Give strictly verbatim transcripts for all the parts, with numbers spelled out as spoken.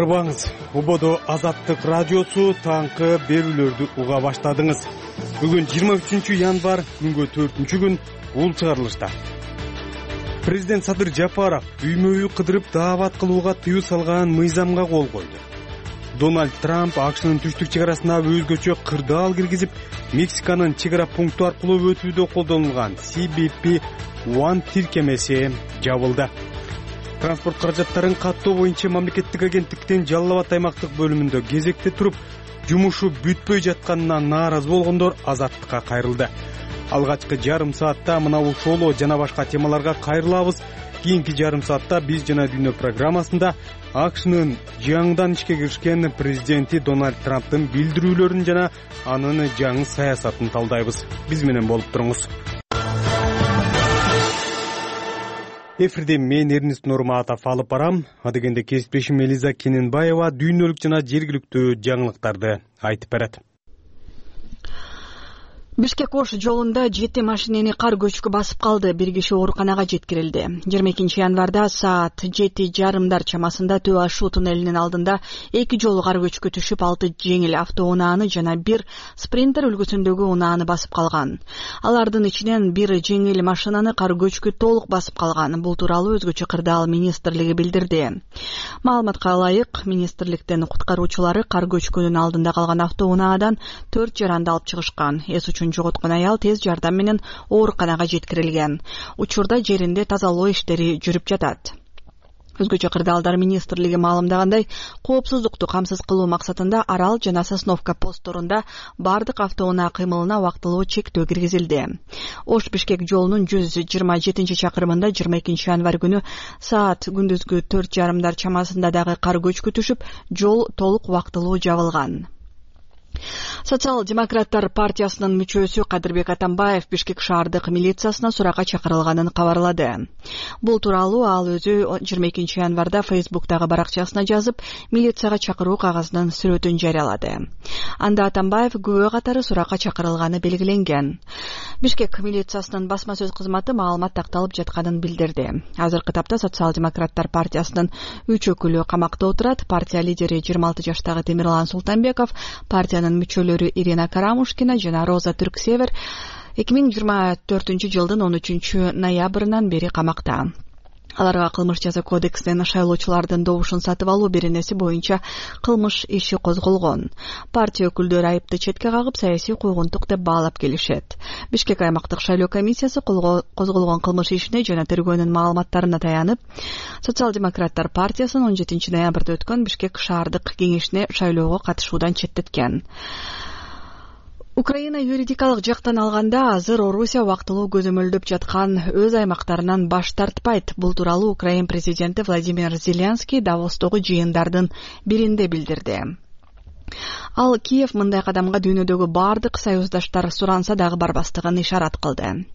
Арбаңыз, Убодо Азаттык радиосу таңкы берүүлөрдү уга баштадыңыз. Бүгүн жыйырма үчүнчү январь, күнгө төртүнчү күн, ул чыгарылышта. Президент Садыр Жапаров үймө-үй кыдырып даават кылууга тыюу салган мыйзамга кол койду. Дональд Трамп АКШнын түштүк чек арасына өзгөчө кырдаал киргизип, Мексиканын чек ара пункту аркылуу өтүүдө колдонулган си би пи один тиркемеси жабылды. Транспорт каражаттарын каттоо боюнча мамлекеттик агенттиктин Жалал Абад аймактык бөлүмүндө кезекте туруп, жумушу бүтпөй жатканына нааразы болгондор Азаттыкка кайрылды. Алгачкы жарым саатта мына ушул жана башка темаларга кайрылабыз. Кийинки жарым саатта биз жана дүйнө программасында АКШнын жаңыдан ишке киришкен президенти Дональд Трамптын билдирүүлөрүн жана анын жаңы саясатын талдайбыз. Биз менен болуп туруңуз. Эфирде мен Эрнест Нурматов алып барам. Адегенде кесиптешим Элиза Кененбаева дүйнөлүк жана жергиликтүү жаңылыктарды айтып берет. Бишкек-Ош жолунда жети машинени кар көчкү басып калды. Бир киши ооруканага жеткирилди. жыйырма экинчи январда саат жети жарымдар чамасында Төө Ашу туннелинин алдында эки жолу кар көчкү түшүп, алты жеңил автоунааны жана бир спринтер үлгүсүндөгү унааны басып калган. Алардын ичинен бир жеңил машинаны кар көчкү толук басып калган. Бул тууралуу өзгөчө кырдаал министрлиги билдирди. Маалыматка ылайык, министрликтин куткаруучулары кар көчкүнүн алдында калган автоунаадан төрт жаранды алып чыгышкан. Эс үчүн жоготкон аял тез жардам менен ооруканага жеткирилген. Учурда жеринде тазалоо иштери жүрүп жатат. Өзгөчө кырдаалдар министрлиги маалымдагандай, коопсуздукту камсыз кылуу максатында Арал жана Сосновка постторунда бардык автоунаа кыймылына убактылуу чектөө киргизилди. Ош-Бишкек жолунун жүз жыйырма жетинчи чакырымында жыйырма экинчи январь күнү саат күндүзгү төрт жарымдар чамасында дагы кар көчкү түшүп, жол толук убактылуу жабылган. Социал-демократтар партиясынын мүчөсү Кадырбек Атамбаев Бишкек шаардык милициясына суракка чакырылганын кабарлады. Бул тууралуу ал өзү жыйырма экинчи январда Фейсбуктагы баракчасына жазып, милицияга чакыруу кагазынын сүрөтүн жарыялады. Анда Атамбаев күбө катары суракка чакырылганы белгиленген. Бишкек милициясынын басма сөз кызматы маалымат такталып жатканын билдирди. Азыркы тапта Социал-демократтар партиясынын үч өкүлү камакта отурат. Партия лидери жыйырма алты жаштагы Темирлан Султанбеков, партиянын мүчөлөрү Ирина Карамушкина жана Роза Түрксевер эки миң жыйырма төртүнчү жылдын он үчүнчү ноябрынан бери камакта. Аларга кылмыш жаза кодексинин шайлоочулардын добушун сатып алуу беренеси боюнча кылмыш иши козголгон. Партия өкүлдөрү айыпты четке кагып, саясий куйгунтук деп баалап келишет. Бишкек аймактык шайлоо комиссиясы козголгон кылмыш ишине жана тергөөнүн маалыматтарына таянып, Социал-демократтар партиясынын он жетинчи ноябрда өткөн Бишкек шаардык кеңешине шайлоого катышуудан четтеткен. Украина юридикалык жактан алганда азыр Орусия убактылуу көзөмөлдөп жаткан өз аймактарынан баш тартпайт. Бул тууралуу Украин президенти Владимир Зеленский Давостогу жыйындардын биринде билдирди. Ал Киев мындай кадамга дүйнөдөгү бардык союздаштар суранса дагы барбастыгын ишарат кылды.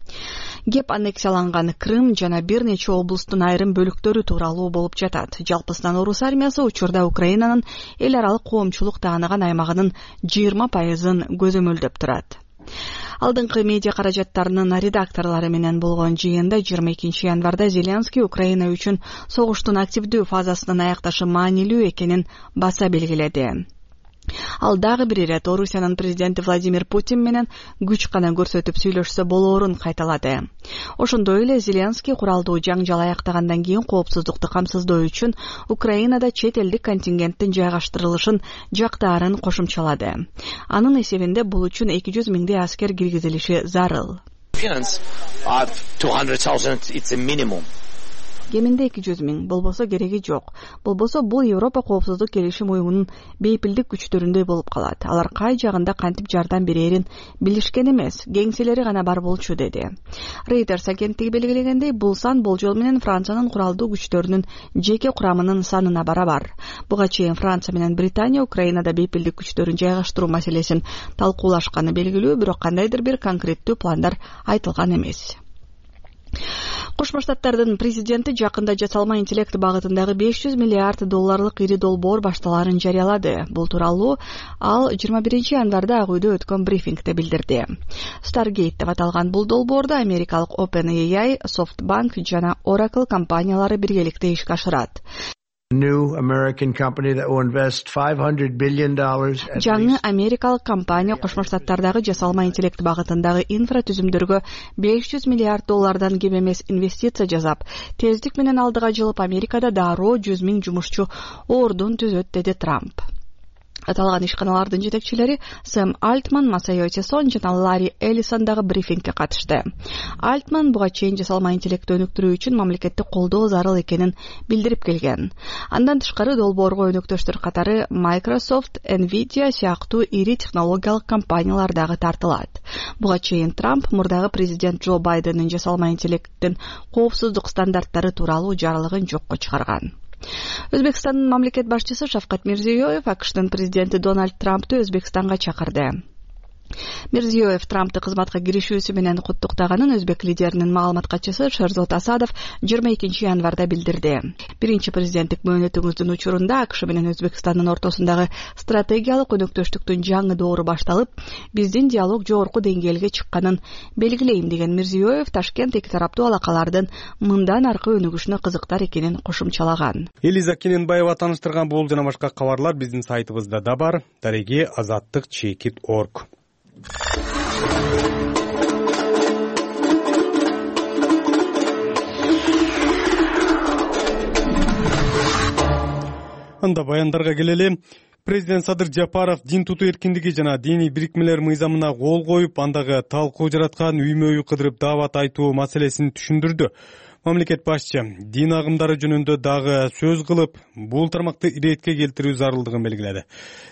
Кеп аннексияланган Крым жана бир нече облустун айрым бөлүктөрү тууралуу болуп жатат. Жалпысынан орус армиясы учурда Украинанын эл аралык коомчулук тааныган аймагынын жыйырма пайызын көзөмөлдөп турат. Алдыңкы медиа каражаттарынын редакторлору менен болгон жыйында жыйырма экинчи январда Зеленский Украина үчүн согуштун активдүү фазасынын аякташы маанилүү экенин баса белгиледи. Ал дагы бир ирет Орусиянын президенти Владимир Путин менен күч гана көрсөтүп сүйлөшсө болоорун кайталады. Ошондой эле Зеленский куралдуу жаңжал аяктагандан кийин коопсуздукту камсыздоо үчүн Украинада чет элдик контингенттин жайгаштырылышын жактаарын кошумчалады. Анын эсебинде бул үчүн эки жүз миңдей аскер киргизилиши зарыл. Кеминде эки жүз миң, болбосо кереги жок. Болбосо бул Европа коопсуздук келишим уюмунун бейпилдик күчтөрүндөй болуп калат. Алар кай жагында кантип жардам берерин билишкен эмес, кеңселери гана бар болчу, деди. Reuters агенттиги белгилегендей, бул сан болжол менен Франциянын куралдуу күчтөрүнүн жеке курамынын санына барабар. Буга чейин Франция менен Британия Украинада бейпилдик күчтөрүн жайгаштыруу маселесин талкуулашканы белгилүү, бирок кандайдыр бир конкреттүү пландар айтылган эмес. Кошмо Штаттардын президенти жакында жасалма интеллект багытындагы беш жүз миллиард долларлык ири долбоор башталаарын жарыялады. Бул тууралуу ал жыйырма биринчи январда Ак үйдө өткөн брифингде билдирди. Stargate деп аталган бул долбоорду америкалык OpenAI, SoftBank жана Oracle компаниялары биргеликте ишке ашырат. Жаңы америкалык компания Кошмо Штаттардагы жасалма интеллект багытындагы инфратүзүмдөргө беш жүз миллиард доллардан кем эмес инвестиция жасап, тездик менен алдыга жылып Америкада дароо жүз миң жумушчу ордун түзөт, деди Трамп. Аталган ишканалардын жетекчилери Сэм Альтман, Масайо Тесон жана Ларри Эллисон дагы брифингке катышты. Альтман буга чейин жасалма интеллектти өнүктүрүү үчүн мамлекеттик колдоо зарыл экенин билдирип келген. Андан тышкары долбоорго өнөктөштөр катары Microsoft, Nvidia сыяктуу ири технологиялык компаниялар дагы тартылат. Буга чейин Трамп мурдагы президент Джо Байдендин жасалма интеллекттин коопсуздук стандарттары тууралуу жарлыгын жокко чыгарган. Өзбекстандын мамлекет башчысы Шавкат Мирзиёев АКШтын президенти Дональд Трампты Өзбекстанга чакырды. Мирзиёев Трампты кызматка киришүүсү менен куттуктаганын өзбек лидеринин маалымат катчысы Шерзот Асадов жыйырма экинчи январда билдирди. Биринчи президенттик мөөнөтүңүздүн учурунда АКШ менен Өзбекстандын ортосундагы стратегиялык өнөктөштүктүн жаңы доору башталып, биздин диалог жогорку деңгээлге чыкканын белгилейм, деген Мирзиёев Ташкент эки тараптуу алакалардын мындан аркы өнүгүшүнө кызыктар экенин кошумчалаган. Элиза Кененбаева тааныштырган бул жана башка кабарлар биздин сайтыбызда да бар. Дареги азаттык чекит точка орг. Анда баяндарга келели. Президент Садыр Жапаров дин тутуу эркиндиги жана диний бирикмелер мыйзамына кол коюп, андагы талкуу жараткан үймө-үй кыдырып даават айтуу маселесин түшүндүрдү. Мамлекет башчы дин агымдары жөнүндө дагы сөз кылып, бул тармакты иретке келтирүү зарылдыгын белгиледи.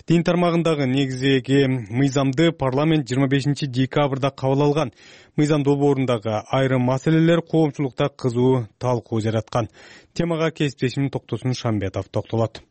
Дин тармагындагы негизги мыйзамды парламент жыйырма бешинчи декабрда кабыл алган. Мыйзам долбоорундагы айрым маселелер коомчулукта кызуу талкуу жараткан. Темага кесиптешим Токтосун Шамбетов токтолот.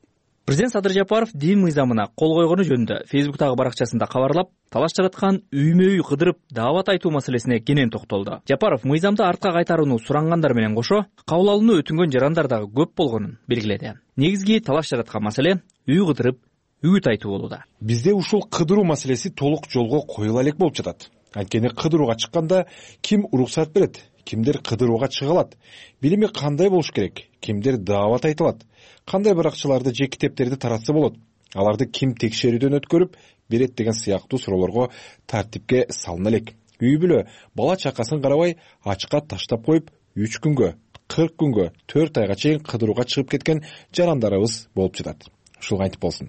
Президент Садыр Жапаров дин мыйзамына кол койгону жөнүндө Фейсбуктагы баракчасында кабарлап, талаш жараткан үймө-үй кыдырып даават айтуу маселесине кенен токтолду. Жапаров мыйзамды артка кайтарууну сурангандар менен кошо, кабыл алууну өтүнгөн жарандар дагы көп болгонун белгиледи. Негизги талаш жараткан маселе үй кыдырып үгүт айтуу болууда. Бизде ушул кыдыруу маселеси толук жолго коюла элек болуп жатат. Анткени кыдырууга чыкканда ким уруксат берет, кимдер кыдырууга чыга алат, билими кандай болуш керек, кимдер даават айта алат, кандай баракчаларды же китептерди таратса болот, аларды ким текшерүүдөн өткөрүп берет деген сыяктуу суроолорго тартипке салына элек. Үй бүлө бала чакасын карабай ачка таштап коюп үч күнгө, кырк күнгө, төрт айга чейин кыдырууга чыгып кеткен жарандарыбыз болуп жатат. Ушул кантип болсун.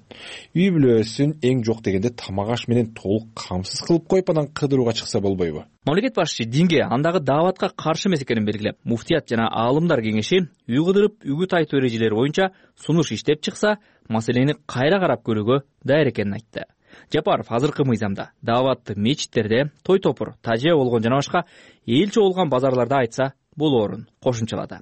Үй бүлөсүн эң жок дегенде тамак аш менен толук камсыз кылып коюп, анан кыдырууга чыкса болбойбу? Мамлекет башчы динге, андагы дааватка каршы эмес экенин белгилеп, муфтият жана аалымдар кеңеши үй кыдырып үгүт айтуу эрежелери боюнча сунуш иштеп чыкса, маселени кайра карап көрүүгө даяр экенин айтты. Жапаров азыркы мыйзамда дааватты мечиттерде, той топур, тажия болгон жана башка эл чогулган базарларда айтса болоорун кошумчалады.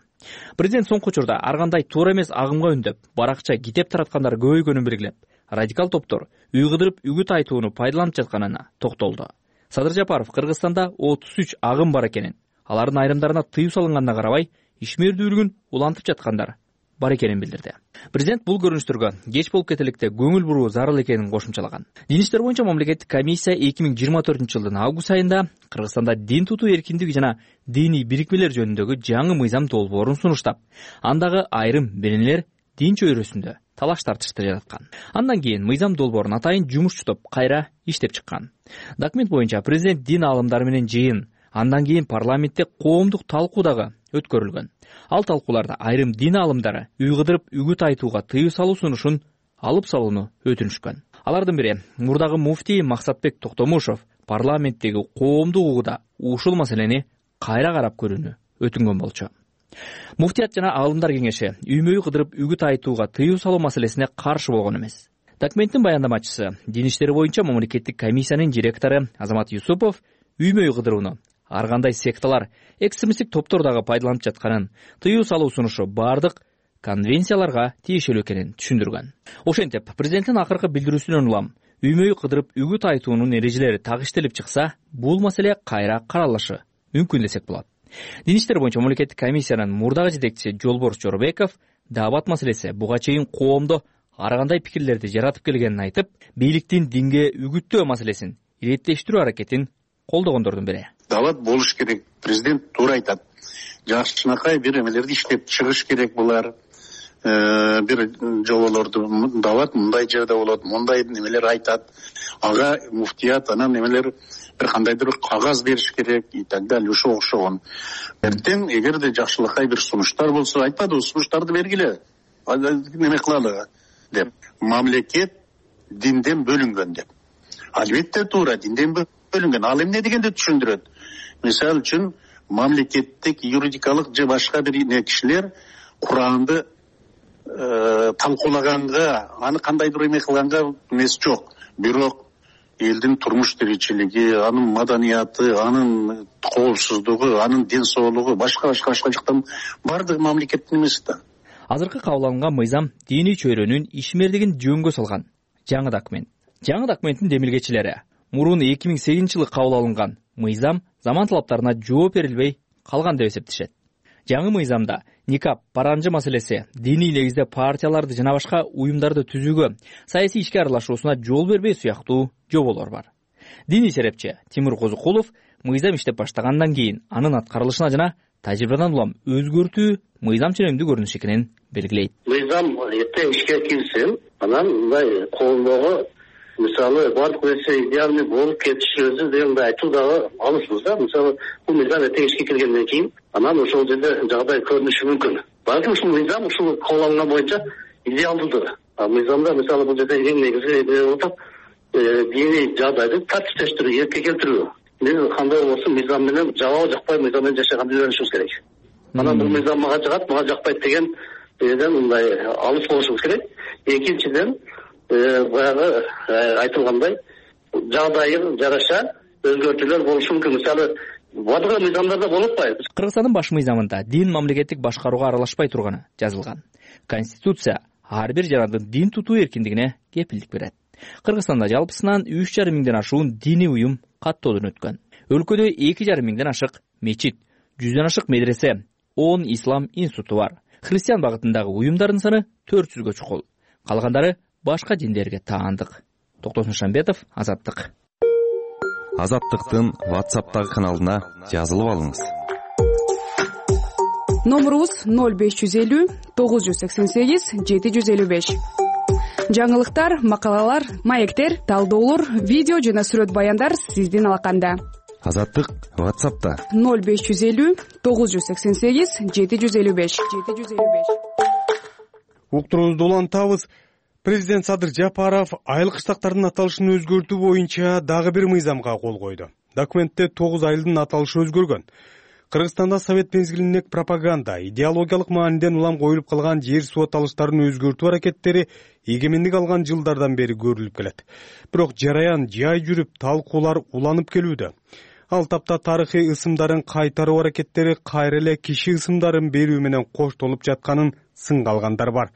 Президент соңку учурда ар кандай туура эмес агымга үндөп, баракча китеп тараткандар көбөйгөнүн белгилеп, радикал топтор үй кыдырып үгүт айтууну пайдаланып жатканына токтолду. Садыр Жапаров Кыргызстанда отуз үч агым бар экенин, алардын айрымдарына тыюу салынганына карабай, ишмердүүлүгүн улантып жаткандар бар экенин билдирди. Президент бул көрүнүштөргө кеч болуп кетеликте көңүл буруу зарыл экенин кошумчалаган. Дин иштер боюнча мамлекеттик комиссия эки миң жыйырма төртүнчү жылдын август айында Кыргызстанда дин тутуу эркиндиги жана диний бирикмелер жөнүндөгү жаңы мыйзам долбоорун сунуштап, андагы айрым беренелер дин чөйрөсүндө талаш тартышты жараткан. Андан кийин мыйзам долбоорун атайын жумушчу топ кайра иштеп чыккан. Документ боюнча президент дин аалымдары менен жыйын, андан кийин парламентте коомдук талкуу дагы өткөрүлгөн. Ал талкууларда айрым дин аалымдары үй кыдырып үгүт айтууга тыюу салуу сунушун алып салууну өтүнүшкөн. Алардын бири мурдагы муфтий Максатбек Токтомушов парламенттеги коомдук угууда ушул маселени кайра карап көрүүнү өтүнгөн болчу. Муфтият жана аалымдар кеңеши үймө-үй кыдырып үгүт айтууга тыюу салуу маселесине каршы болгон эмес. Документтин баяндамачысы, дин иштери боюнча мамлекеттик комиссиянын директору Азамат Юсупов үймө-үй кыдырууну ар кандай секталар, экстремисттик топтор дагы пайдаланып жатканын, тыюу салуу сунушу бардык конвенцияларга тиешелүү экенин түшүндүргөн. Ошентип, президенттин акыркы билдирүүсүнөн улам үймө-үй кыдырып үгүт айтуунун эрежелери так иштелип чыкса, бул маселе кайра каралышы мүмкүн десек болот. Дин иштер боюнча мамлекеттик комиссиянын мурдагы жетекчиси Жолборс Жорбеков даават маселеси буга чейин коомдо ар кандай пикирлерди жаратып келгенин айтып, бийликтин динге үгүттөө маселесин иреттештирүү аракетин колдогондордун бири. Даават болуш керек. Президент туура айтат. Жакшынакай бир эмелерди иштеп чыгыш керек булар. бир жоболорду дават мындай жерде болот, мындай немелер айтат, ага муфтият анан немелер бир кандайдыр бир кагаз бериш керек и так далее, ошого окшогон. Эртең эгерде жакшылыкка бир сунуштар болсо айтпадыбы, сунуштарды бергиле, неме кылалы деп. Мамлекет динден бөлүнгөн деп. Албетте туура, динден бөлүнгөн. Ал эмне дегенди түшүндүрөт. Мисалы үчүн мамлекеттик юридикалык же башка бир кишилер Куранды талкуулаганга, аны кандайдыр эме кылганга эмес жок. Бирок элдин турмуш тиричилиги, анын маданияты, анын коопсуздугу, анын ден соолугу, башка башка башка жактан баардыгы мамлекеттин эмеси да. Азыркы кабыл алынган мыйзам диний чөйрөнүн ишмердигин жөнгө салган жаңы документ. Жаңы документтин демилгечилери мурун эки миң сегизинчи жылы кабыл алынган мыйзам заман талаптарына жооп берилбей калган деп эсептешет. Жаңы мыйзамда никап, паранжы маселеси, диний негизде партияларды жана башка уюмдарды түзүүгө, саясий ишке аралашуусуна жол бербөө сыяктуу жоболор бар. Диний серепчи Тимур Козукулов мыйзам иштеп баштагандан кийин анын аткарылышына жана тажрыйбадан улам өзгөртүү мыйзам ченемдүү көрүнүш экенин белгилейт. Мыйзам эртең ишке кирсин, анан мындай коомдогу мисалы бардык нерсе идеальный болуп кетиши өзү дегенде айтуу дагы алысбыз да. Мисалы бул мыйзам эртең ишке киргенден кийин анан ошол жерде жагдай көрүнүшү мүмкүн. Балким ушул мыйзам ушул кабыл алынган боюнча идеалдуудур. А мыйзамда мисалы бул жерде эң негизги болуп атат диний жагдайды тартиптештирүү, эркке келтирүү. Биз кандай болсун мыйзам менен жабабы жакпай мыйзам менен жашаганды үйрөнүшүбүз керек. Анан бул мыйзам мага жагат, мага жакпайт деген жерден мындай алыс болушубуз керек. Экинчиден баягы айтылгандай жагдайга жараша өзгөртүүлөр болушу мүмкүн. Мисалы бардыгы мыйзамдарда болуп атпайбы. Кыргызстандын баш мыйзамында дин мамлекеттик башкарууга аралашпай турганы жазылган. Конституция ар бир жарандын дин тутуу эркиндигине кепилдик берет. Кыргызстанда жалпысынан үч жарым миңден ашуун диний уюм каттоодон өткөн. Өлкөдө эки жарым миңден ашык мечит, жүздөн ашык медресе, он ислам институту бар. Христиан багытындагы уюмдардын саны төрт жүзгө чукул. Калгандары башка диндерге таандык. Токтосун Шамбетов, Азаттык. Азаттыктын WhatsApp'тагы каналына жазылып алыңыз. Номерубуз ноль беш жүз элүү тогуз жүз сексен сегиз жети жүз элүү беш. Жаңылыктар, макалалар, маектер, талдоолор, видео жана сүрөт баяндар сиздин алаканда. Азаттык WhatsApp'та ноль беш жүз элүү тогуз жүз сексен сегиз жети жүз элүү беш. Уктуруубузду улантабыз. Президент Садыр Жапаров айыл кыштактардын аталышын өзгөртүү боюнча дагы бир мыйзамга кол койду. Документте тогуз айылдын аталышы өзгөргөн. Кыргызстанда совет мезгилиндеги пропаганда, идеологиялык мааниден улам коюлуп калган жер суу аталыштарын өзгөртүү аракеттери эгемендик алган жылдардан бери көрүлүп келет. Бирок жараян жай жүрүп талкуулар уланып келүүдө. Ал тапта тарыхый ысымдарын кайтаруу аракеттери кайра эле киши ысымдарын берүү менен коштолуп жатканын сынга алгандар бар.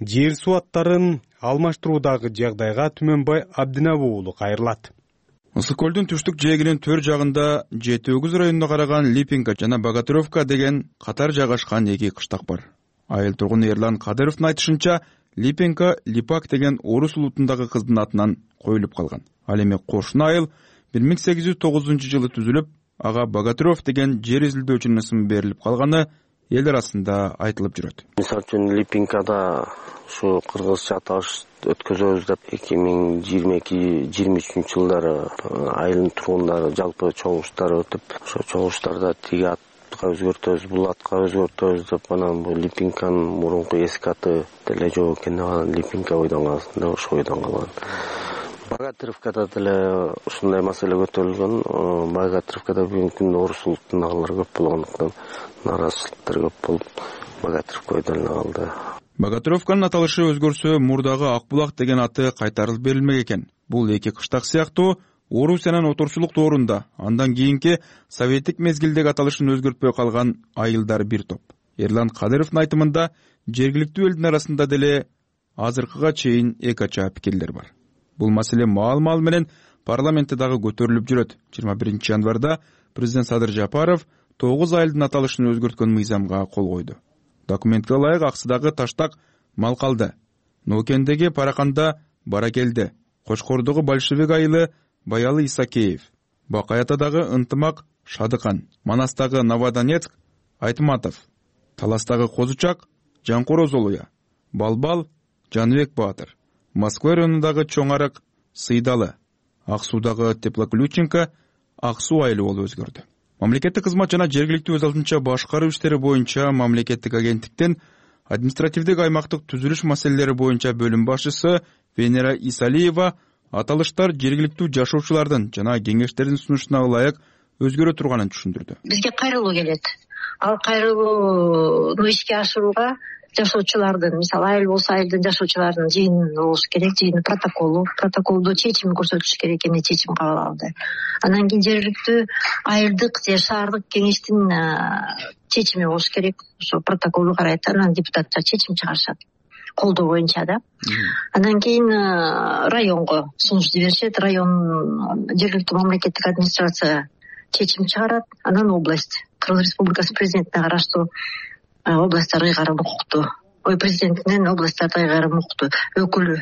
Жер суу аттарын алмаштыруудагы жагдайга Түмөнбай Абдинабы уулу кайрылат. Ысык көлдүн түштүк жээгинин төр жагында жети өгүз районуна караган Липинка жана Богатыревка деген катар жайгашкан эки кыштак бар. Айыл тургуну Эрлан Кадыровдун айтышынча, Липинка Липак деген орус улутундагы кыздын атынан коюлуп калган. Ал эми кошуна айыл бир миң сегиз жүз тогузунчу жылы түзүлүп, ага Богатырев деген жер изилдөөчүнүн ысымы берилип калганы эл арасында айтылып жүрөт. Мисалы үчүн Липинкада ушу кыргызча аталыш өткөзөбүз деп эки миң жыйырма эки жыйырма үчүнчү жылдары айылдын тургундары жалпы чогулуштар өтүп, ошо чогулуштарда тиги атка өзгөртөбүз, бул атка өзгөртөбүз деп анан бул Липинканын мурунку эски аты деле жок экен, анан Липинка ойдон калсын деп ошо ойдон калган. Богатыревкада деле ушундай маселе көтөрүлгөн. Богатыревкада бүгүнкү күндө орус улутундагылар көп болгондуктан нааразычылыктар көп болуп, Богатыревка ойдон калды. Богатыревканын аталышы өзгөрсө, мурдагы Акбулак деген аты кайтарылып берилмек экен. Бул эки кыштак сыяктуу Орусиянын отурчулук доорунда, андан кийинки советтик мезгилдеги аталышын өзгөртпөй калган айылдар бир топ. Эрлан Кадыровдун айтымында жергиликтүү элдин арасында деле азыркыга чейин эки ача пикирлер бар. Бул маселе маал-маал менен парламентте дагы көтөрүлүп жүрөт. жыйырма биринчи январда президент Садыр Жапаров тогуз айылдын аталышын өзгөрткөн мыйзамга кол койду. Документке ылайык Аксыдагы Таштак Малкалды, Ноокендеги Параканда Баракелди, Кочкордогу Большевик айылы Баялы Исакеев, Бакаятадагы Ынтымак Шадыкан, Манастагы Новодонецк Айтматов, Таластагы Козучак Жанкор Озолуя, Балбал Жаныбек Баатыр, Москва районундагы Чоң Арык Сыйдалы, Ак Суудагы Теплоключенко Ак Суу айылы болуп өзгөрдү. Мамлекеттик кызмат жана жергиликтүү өз алдынча башкаруу иштери боюнча мамлекеттик агенттиктин административдик аймактык түзүлүш маселелери боюнча бөлүм башчысы Венера Исалиева аталыштар жергиликтүү жашоочулардын жана кеңештердин сунушуна ылайык өзгөрө турганын түшүндүрдү. Бизге кайрылуу келет. Ал кайрылууну ишке ашырууга жашоочулардын, мисалы айыл болсо айылдын жашоочулардын жыйыны болуш керек, жыйын протоколу, протоколдо чечим көрсөтүш керек, эмне чечим кабыл алды. Анан кийин жергиликтүү айылдык же шаардык кеңештин чечими болуш керек. Ошо протоколду карайт, анан депутаттар чечим чыгарышат. Колдоо боюнча да. Анан кийин районго сунуш жиберишет, район жергиликтүү мамлекеттик администрация чечим чыгарат, анан область, Кыргыз Республикасы президентине караштуу областтар ыйгарым укуктуу, ой президентинен областтарда ыйгарым укуктуу өкүлү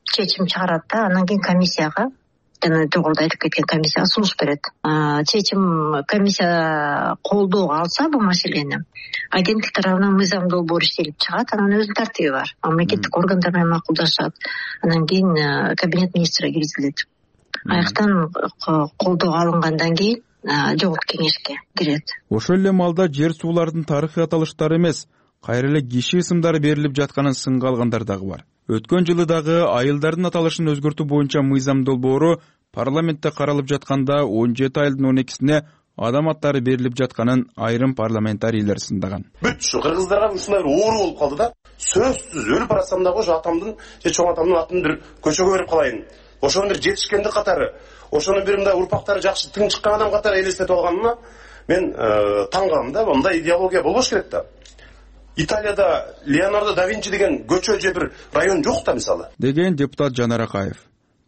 чечим чыгарат да, анан кийин комиссияга, жана жогоруда айтып кеткен комиссияга сунуш берет. Чечим комиссия колдоого алса бул маселени, агенттик тарабынан мыйзам долбоор иштелип чыгат, анан өзүнүн тартиби бар. Мамлекеттик органдар менен макулдашат, анан кийин кабинет министри киргизилет. Аяктан колдоого алынгандан кийин жогорку кеңешке кирет. Ошол эле маалда жер суулардын тарыхый аталыштары эмес, кайра эле киши ысымдары берилип жатканын сынга алгандар дагы бар. Өткөн жылы дагы айылдардын аталышын өзгөртүү боюнча мыйзам долбоору парламентте каралып жатканда он жети айылдын он экисине адам аттары берилип жатканын айрым парламентарийлер сындаган. Бүт ушу кыргыздарга ушундай бир оору болуп калды да. Сөзсүз өлүп баратсам дагы ошо атамдын же чоң атамдын атын бир көчөгө берип калайын. Ошонун бир жетишкендик катары, ошонун бир мындай урпактары жакшы тың чыккан адам катары элестетип алганына мен таң калдым да. Мындай идеология болбош керек да. Италияда Леонардо да Винчи деген көчө же бир район жок да мисалы. Деген депутат Жанар Акаев.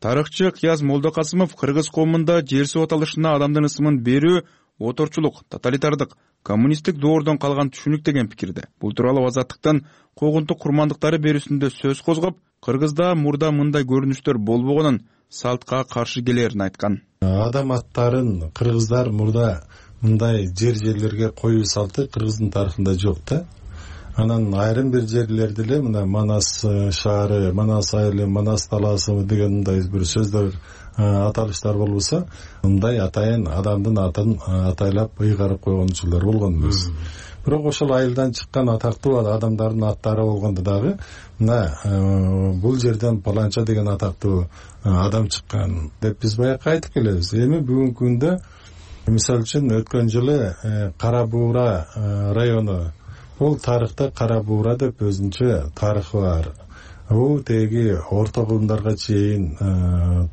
Тарыхчы Кияз Молдокасымов кыргыз коомунда жер суу аталышына адамдын ысымын берүү оторчулук, тоталитардык, коммунисттик доордон калган түшүнүк деген пикирде. Бул тууралуу Азаттыктын когунтук курмандыктары берүүсүндө сөз козгоп, Кыргызда мурда мындай көрүнүштөр болбогонун, салтка каршы келерин айткан. Адам аттарын кыргыздар мурда мындай жер жерлерге коюу салты кыргыздын тарыхында жок да. Анан айрым бир жерлерде эле мына Манас шаары, Манас айылы, Манас талаасы деген мындай бир сөздөр аталыштар болбосо, мындай атайын адамдын атын атайлап ыйгарып койгон учурлар болгон эмес. Бирок ошол айылдан чыккан атактуу адамдардын аттары болгондо дагы мына бул жерден паланча деген атактуу адам чыккан деп биз баягы айтып келебиз. Эми бүгүнкү күндө мисалы үчүн өткөн жылы Кара Буура району, бул тарыхта Кара Буура деп өзүнчө тарыхы бар. Бул теги орто кылымдарга чейин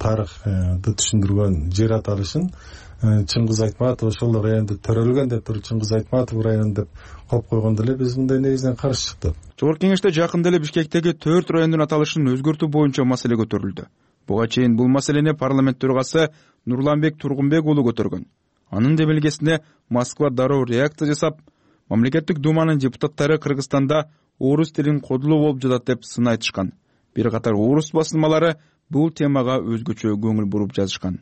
тарыхты түшүндүргөн жер аталышын Чыңгыз Айтматов ошол районду төрөлгөн деп туруп Чыңгыз Айтматов району деп коюп койгондо эле биз мындай негизинен каршы чыктык. Жогорку кеңеште жакында эле Бишкектеги төрт райондун аталышын өзгөртүү боюнча маселе көтөрүлдү. Буга чейин бул маселени парламент төрагасы Нурланбек Тургунбек уулу көтөргөн. Анын демилгесине Москва дароо реакция жасап, мамлекеттик думанын депутаттары Кыргызстанда орус тилин кодулуу болуп жатат деп сын айтышкан. Бир катар орус басылмалары бул темага өзгөчө көңүл буруп жазышкан.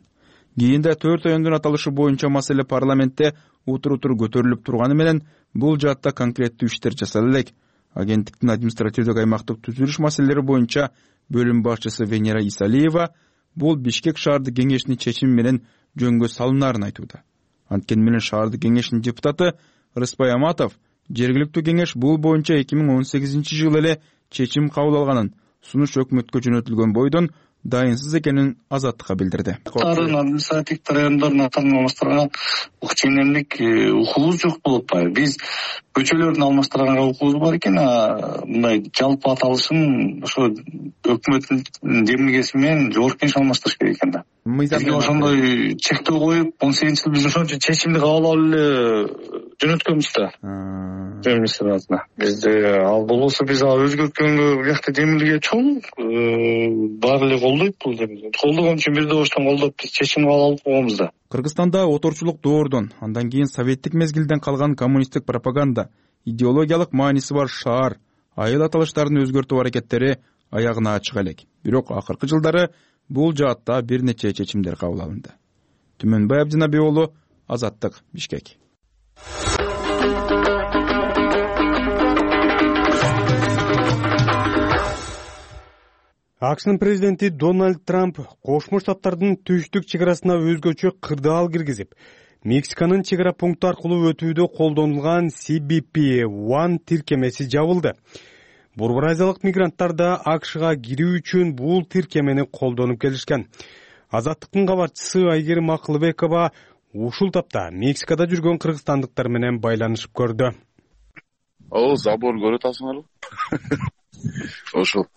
Кийинде төрт райондун аталышы боюнча маселе парламентте утур-утур көтөрүлүп турганы менен бул жаатта конкреттүү иштер жасала элек. Агенттиктин административдик аймактык түзүлүш маселелери боюнча бөлүм башчысы Венера Исалиева бул Бишкек шаардык кеңешинин чечими менен жөнгө салынаарын айтууда. Анткени менен шаардык кеңешинин депутаты Рыспай Аматов жергиликтүү кеңеш бул боюнча эки миң он сегизинчи жылы эле чечим кабыл алганын, сунуш өкмөткө жөнөтүлгөн бойдон дайынсыз экенин Азаттыкка билдирди. Тарын административдик райондордун атын алмаштырганга ченемдик укугубуз жок болуп атпайбы. Биз көчөлөрдүн алмаштырганга укугубуз бар экен, мындай жалпы аталышын ошо өкмөттүн демилгеси менен жогорку кеңеш алмаштырыш керек экен да. Бизге ошондой чектөө коюп, он сегизинчи жылы биз ошончо чечимди кабыл алып эле жөнөткөнбүз да. Демилгесин бизде ал болбосо биз ал өзгөрткөнгө биякта демилге чоң, баары эле колдойт бул демилге. Колдогон үчүн бир добуштан колдоп биз чечим кабыл алып койгонбуз да. Кыргызстанда оторчулук доордон, андан кийин советтик мезгилден калган коммунисттик пропаганда, идеологиялык мааниси бар шаар, айыл аталыштарын өзгөртүү аракеттери аягына чыга элек. Бирок акыркы жылдары бул жаатта бир нече чечимдер кабыл алынды. Түмөнбай Абдинабек уулу, Азаттык, Бишкек. акшнын президенти Дональд Трамп Кошмо Штаттардын түштүк чек арасына өзгөчө кырдаал киргизип, Мексиканын чек ара пункту аркылуу өтүүдө колдонулган си би пи один тиркемеси жабылды. Борбор Азиялык мигранттар да акшга кирүү үчүн бул тиркемени колдонуп келишкен. Азаттыктын кабарчысы Айгерим Акылбекова ушул тапта Мексикада жүргөн кыргызстандыктар менен байланышып көрдү. О, забор көрүп атасыңарбы? Ошол.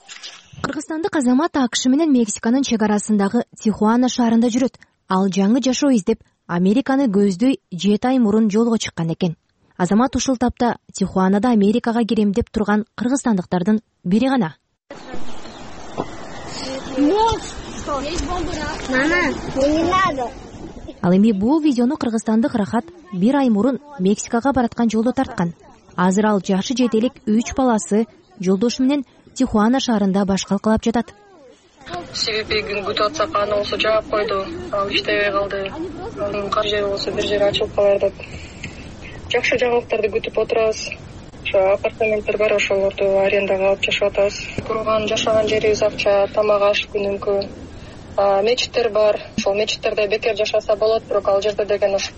Кыргызстандык азамат акш менен Мексиканын чек арасындагы Тихуана шаарында жүрөт. Ал жаңы жашоо издеп, Американы көздөй жети ай мурун жолго чыккан экен. Азамат ушул тапта Тихуанада Америкага кирем деп турган кыргызстандыктардын бири гана. Ал эми бул видеону кыргызстандык Рахат бир ай мурун Мексикага бараткан жолдо тарткан. Азыр ал жашы жетелик үч баласы жолдошу менен Тихуана шаарында баш калкалап жатат. си би пи күтүп атсак, аны болсо жаап койду. Ал иштебей калды. Анын кар жери болсо бир жери ачылып калар деп. Жакшы жаңылыктарды күтүп отурабыз. Ошо апартаменттер бар, ошолорду арендага алып жашап атабыз. Турган, жашаган жерибиз акча, тамак аш күнүмкү. Мечиттер бар. Ошол мечиттерде бекер жашаса болот, бирок ал жерде деген ошо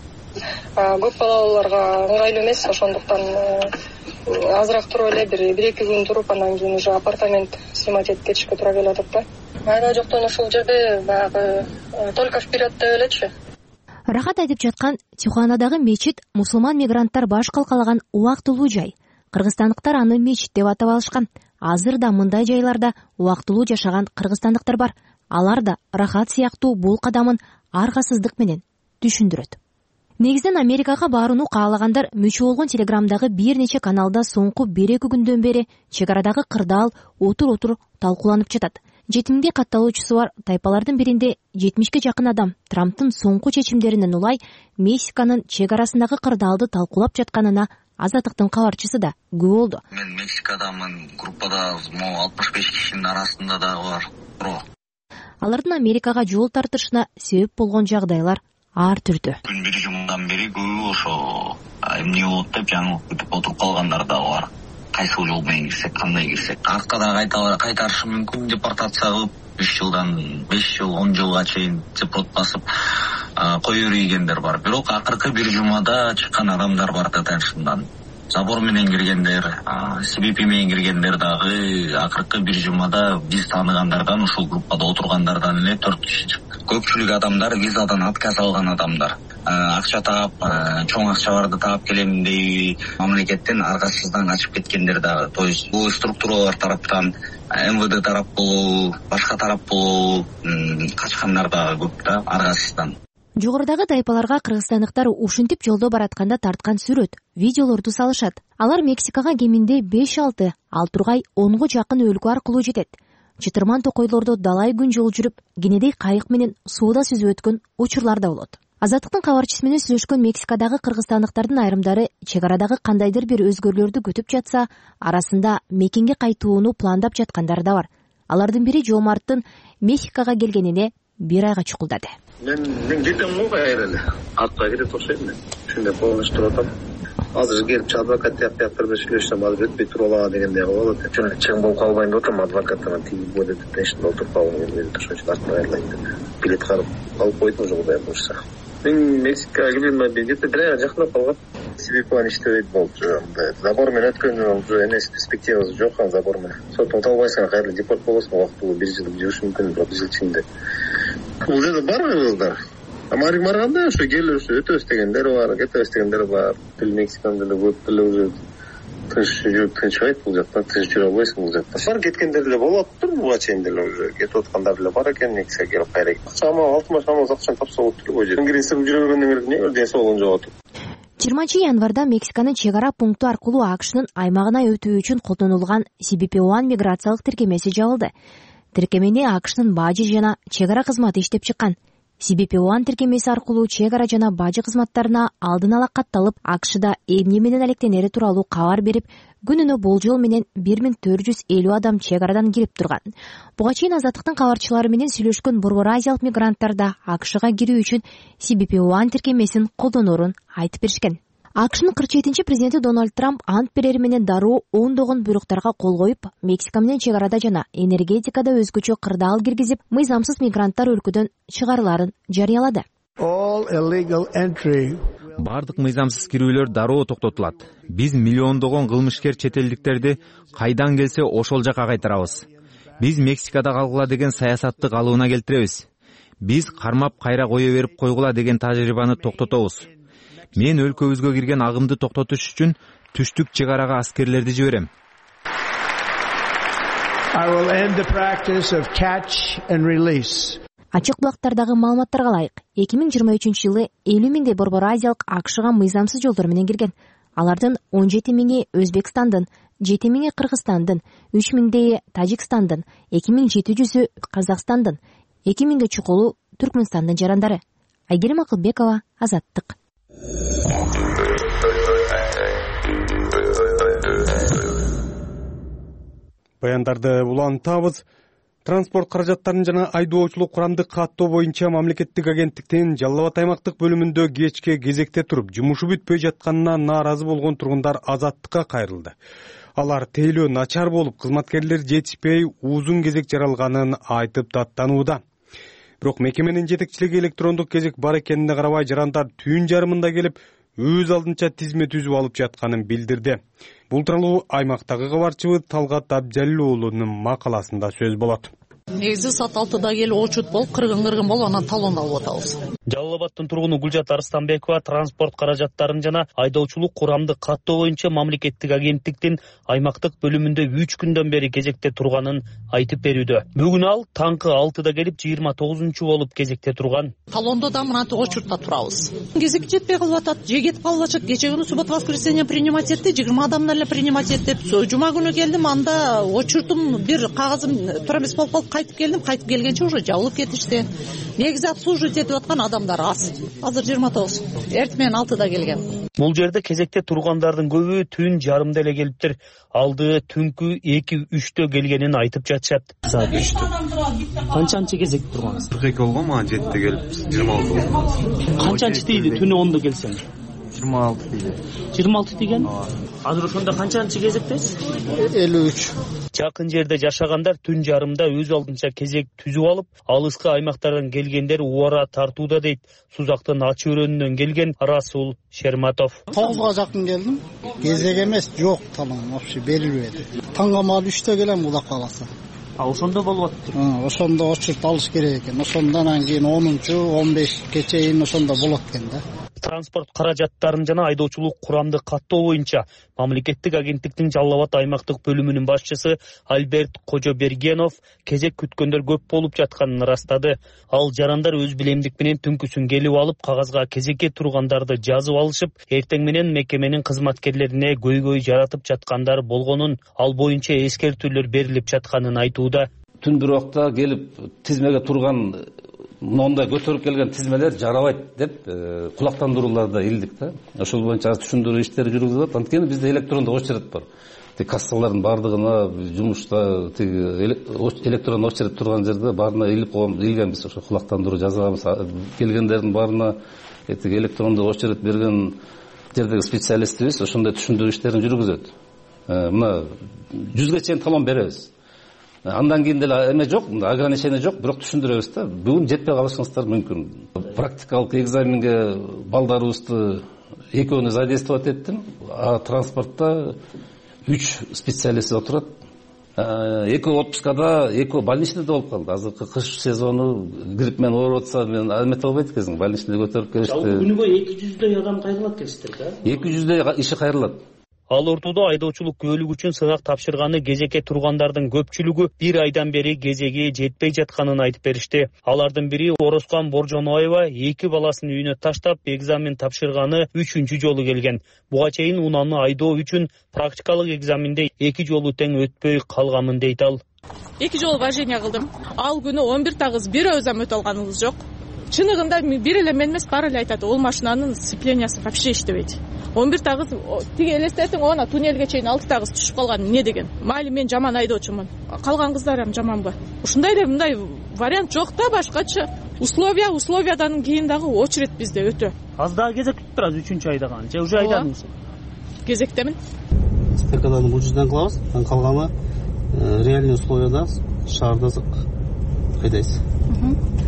көп балалууларга ыңгайлуу эмес, ошондуктан азыраак туруп эле бир бир эки күн туруп, анан кийин уже апартамент снимать этип кетишке туура келип атат да. Айла жоктон ушул жерде баягы только вперед деп элечи. Рахат айтып жаткан Тихуанадагы мечит мусулман мигранттар баш калкалаган убактылуу жай. Кыргызстандыктар аны мечит деп атап алышкан. Азыр да мындай жайларда убактылуу жашаган кыргызстандыктар бар. Алар да Рахат сыяктуу бул кадамын аргасыздык менен түшүндүрөт. Негизден Америкага барууну каалагандар мүчө болгон Телеграмдагы бир нече каналда соңку бир эки күндөн бери чек арадагы кырдаал отур-отур талкууланып жатат. Жетимге катталуучусу бар тайпалардын биринде жетимишке жакын адам Трамптын соңку чечимдеринен улай Мексиканын чек арасындагы кырдаалды талкуулап жатканына Азаттыктын кабарчысы да күбө болду. Мен Мексикадамын, группада могу алтымыш беш кишинин арасында да бар. Алардын Америкага жол тартышына себеп болгон жагдайлар ар түрдүү. Күн бир жумадан бери көбү ошо эмне болот деп жаңылык күтүп отуруп калгандар да бар. Кайсы жол менен кирсек, кандай кирсек, аркадан кайтарышы мүмкүн, депортация кылып үч жылдан беш жыл, он жылга чейин депорт басып коюп ийгендер бар. Бирок акыркы бир жумада чыккан адамдар бар да тынчынан. Забор менен киргендер, си би пи менен киргендер дагы акыркы бир жумада биз тааныгандардан, ушул группада отургандардан эле төрт киши чыкты. Көпчүлүк адамдар визадан отказ алган адамдар. Акча таап, чоң акчаларды таап келем деп мамлекеттен аргасыздан качып кеткендер дагы. То есть бул структуралар тараптан, эм вэ дэ тарап болобу, башка тарап болобу качкандар дагы көп да аргасыздан. Жогорудагы тайпаларга кыргызстандыктар ушинтип жолдо баратканда тарткан сүрөт, видеолорду салышат. Алар Мексикага кеминде беш алты, ал тургай онго жакын өлкө аркылуу жетет. Чытырман токойлордо далай күн жол жүрүп, кенедей кайык менен сууда сүзүп өткөн учурлар да болот. Азаттыктын кабарчысы менен сүйлөшкөн Мексикадагы кыргызстандыктардын айрымдары чек арадагы кандайдыр бир өзгөрүүлөрдү күтүп жатса, арасында мекенге кайтууну пландап жаткандар да бар. Алардын бири Жомарттын Мексикага келгенине бир айга чукулдады. Мен мен кетем го кайра эле. Артка кетет окшойм мен. Ушундай полночь туруп атам. Азыр келип адвокат тияктар менен сүйлөшсөм, азыр өтпөй туруп алага дегендей болот. Жана чең болуп калбайын деп атам, адвокаттан тиги бойдо тынчтын отуруп калгым келет, ошон үчүн артка кайрылайын деп. Билет карып алып койдум ошол кудай болушса. Мен Мексикага келгениме где-то бир айга жакындап калган. си би пи иштебейт болчу. Забор менен өткөн уже эмес, перспективасы жок ан забор менен. Сотун табылбайсың, кайра депорт болосуң, убактылуу бир жыл жүрүш мүмкүн, бир жыл ичинде. Бул жерде бар кыргыздар. Америка барганда ошо келип ошо өтөбүз дегендер бар, кетебиз дегендер бар. Тил Мексикан деле көп деле уже тынч жүрүп тынчбайт бул жакта, тынч жүрө албайсың бул жакта. Бар кеткендер деле болуптур, буга чейин деле уже кетип аткандар деле бар экен, Мексикага келип кайра. Акчама алтымыш амал акчаны тапса болот эле бул жерде. Ингрессип жүрө бергөндөн кийин эмне ден соолугун жоготуп. жыйырманчы январда Мексиканын чек ара пункту аркылуу акшнын аймагына өтүү үчүн колдонулган си би пи один миграциялык тиркемеси жабылды. Тиркемени акшнын бажы жана чек ара кызматы иштеп чыккан. си би пи один тиркемеси аркылуу чек ара жана бажы кызматтарына алдын ала катталып, акшда эмне менен алектенери тууралуу кабар берип, күнүнө болжол менен бир миң төрт жүз элүү адам чек арадан кирип турган. Буга чейин Азаттыктын кабарчылары менен сүйлөшкөн Борбор Азиялык мигранттар да акшга кирүү үчүн си би пи один тиркемесин колдоноорун айтып беришкен. акшнын кырк жетинчи президенти Дональд Трамп ант берери менен дароо ондогон буйруктарга кол коюп, Мексика менен чек арада жана энергетикада өзгөчө кырдаал киргизип, мыйзамсыз мигранттар өлкөдөн чыгарылаарын жарыялады. Бардык мыйзамсыз кирүүлөр дароо токтотулат. Биз миллиондогон кылмышкер чет элдиктерди кайдан келсе ошол жака кайтарабыз. Биз Мексикада калгыла деген саясатты калыбына келтиребиз. Биз кармап кайра кое берип койгула деген тажрыйбаны токтотобуз. Мен өлкөбүзгө кирген агымды токтотуш үчүн түштүк чек арага аскерлерди жиберем. Ачык булактардагы маалыматтарга ылайык, эки миң жыйырма үчүнчү жылы элүү миңдей борбор азиялык акшга мыйзамсыз жолдор менен кирген. Алардын он жети миңи Өзбекстандын, жети миңи Кыргызстандын, үч миңдейи Тажикстандын, эки миң жети жүзү Казакстандын, эки миңге чукулу Түркмөнстандын жарандары. Айгерим Акылбекова, Азаттык. Баяндарды улантабыз. Транспорт каражаттарын жана айдоочулук курамдык каттоо боюнча мамлекеттик агенттиктин Жалал Абад аймактык бөлүмүндө кечке кезекте туруп жумушу бүтпөй жатканына нааразы болгон тургундар Азаттыкка кайрылды. Алар тейлөө начар болуп, кызматкерлер жетишпей, узун кезек жаралганын айтып даттанууда. Бирок мекеменин жетекчилиги электрондук кезек бар экенине карабай, жарандар түн жарымында келип, өз алдынча тизме түзүп алып жатканын билдирди. Бул тууралуу аймактагы кабарчыбыз Талгат Абджалил уулунун макаласында сөз болот. Негизи саат алтыда келип очут болуп, кыргын-кыргын болуп, анан талон алып атабыз. Жалал Абадтын тургуну Гүлжат Арыстанбекова транспорт каражаттарын жана айдоочулук курамдык каттоо боюнча мамлекеттик агенттиктин аймактык бөлүмүндө үч күндөн бери кезекте турганын айтып берүүдө. Бүгүн ал таңкы алтыда келип, жыйырма тогузунчу болуп кезекте турган. Талондо да мынантип очуртта турабыз. Кезек жетпей калып атат, же кетип калып атышат. Кече күнү суббота воскресенье принимать этти, жыйырма адамдар эле принимать этип. Жума күнү келдим, анда очуртум бир кагазым туура эмес болуп калып, кайтып келдим, кайтып келгенче уже жабылып кетишти. Негизи обслуживать этип аткан адамдар аз. Азыр жыйырма тогуз. Эртең менен алтыда келген. Бул жерде кезекте тургандардын көбү түн жарымда эле келиптир. Алды түнкү эки үчтө келгенин айтып жатышат. Саат үчтө. Канчанчы кезек тургансыз? кырк эки болгон, мага жетиде келип, жыйырма алты. Канчанчы тийди түнү ондо келсең? жыйырма алты тийди. жыйырма алты тийген? Азыр ошондо канчанчы кезектесиз? элүү үч. Жакын жерде жашагандар түн жарымда өз алдынча кезек түзүп алып, алыскы аймактардан келгендер убара тартууда дейт Сузактын Ачы өрөөнүнөн келген Расул Шерматов. тогузга жакын келдим. Кезек эмес, жок, талон вообще берилбеди. Таңгамал үчтө келем Кудай кааласа. А ошондо болуп атты. Ошондо очурт алыш керек экен. Ошондон кийин онунчу, он бешке чейин ошондо болот экен да. Транспорт каражаттарын жана айдоочулук курамдык каттоо боюнча мамлекеттик агенттиктин Жалал Абад аймактык бөлүмүнүн башчысы Альберт Кожобергенов кезек күткөндөр көп болуп жатканын ырастады. Ал жарандар өз билемдик менен түнкүсүн келип алып, кагазга кезекке тургандарды жазып алышып, эртең менен мекеменин кызматкерлерине көйгөй жаратып жаткандар болгонун, ал боюнча эскертүүлөр берилип жатканын айтууда. Түн бир убакта келип тизмеге турган мындай көтөрүп келген тизмелер жарабайт деп кулактандырууларда илдик да. Ошол боюнча түшүндүрүү иштери жүргүзүлөт. Анткени бизде электрондук очередь бар. Тик кассалардын бардыгына жумушта тиг электрондук очередь турган жерде баарына илип койгон, илгенбиз. Ошо кулактандыруу жазабыз. Келгендердин баарына тиг электрондук очередь берген жердеги специалистибиз ошондой түшүндүрүү иштерин жүргүзөт. Мына жүзгө чейин талон беребиз. Андан кийин деле эме жок, ограничение жок, бирок түшүндүрөбүз да. Бүгүн жетпей калышыңыздар мүмкүн. Практикалык экзаменге балдарыбызды экөөнү задействовать эттим. А транспортто үч специалист отурат. Экөө отпускада, экөө больничныйда болуп калды. Азыркы кыш сезону грипп менен ооруп атса, мен эмете албайт экенсиң, больничныйда көтөрүп келишти. Жалпы күнүгө эки жүздөй адам кайрылат келиптир да? эки жүздөй иши кайрылат. Ал ортодо айдоочулук күбөлүк үчүн сынак тапшырганы кезекке тургандардын көпчүлүгү бир айдан бери кезеги жетпей жатканын айтып беришти. Алардын бири Орозкан Боржоноева эки баласын үйүнө таштап экзамен тапшырганы үчүнчү жолу келген. Буга чейин унаны айдоо үчүн практикалык экзаменде эки жолу тең өтпөй калганмын дейт ал. Эки жолу вождение кылдым. Ал күнү он бир тагыз бир өзүм өтө алганыбыз жок. Чыныгында бир эле мен эмес, баары эле айтат, ол машинанын сцеплениясы вообще иштебейт. он бир тагыз тиги элестетиң, она туннелге чейин алты тагыз түшүп калган эмне деген. Майли мен жаман айдоочумун. Калган кыздар эми жаманбы? Ушундай эле мындай вариант жок да башкачы. условия условиядан кийин дагы очередь бизде өтө. Аз дагы кезек күтүп турасыз үчүнчү айда кан же уже айдадыңыз? Кезектемин. Стекадан бул жерден кылабыз, анан калганы реальный условияда шаарда кайдайсыз.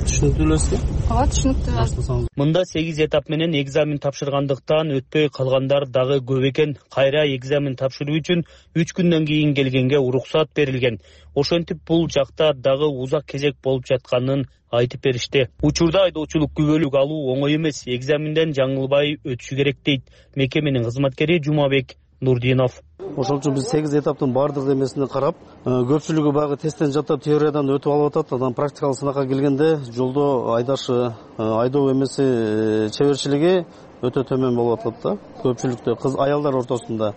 Түшүнүктүү элесизби? Ооба, түшүнүктүү. Мында сегиз этап менен экзамен тапшыргандыктан өтпөй калгандар дагы көп экен. Кайра экзамен тапшыруу үчүн үч күндөн кийин келгенге уруксат берилген. Ошентип бул жакта дагы узак кезек болуп жатканын айтып беришти. Учурда айдоочулук күбөлүк алуу оңой эмес. Экзаменден жаңылбай өтүшү керек дейт мекеменин кызматкери Жумабек Нурдинов. Ошол үчүн биз сегиз этаптын баардык эмесине карап, көпчүлүгү баягы тесттен жаттап теориядан өтүп алып атат. Анан практикалык сынакка келгенде жолдо айдашы, айдоо эмеси чеберчилиги өтө төмөн болуп атат да. Көпчүлүктө кыз аялдар ортосунда.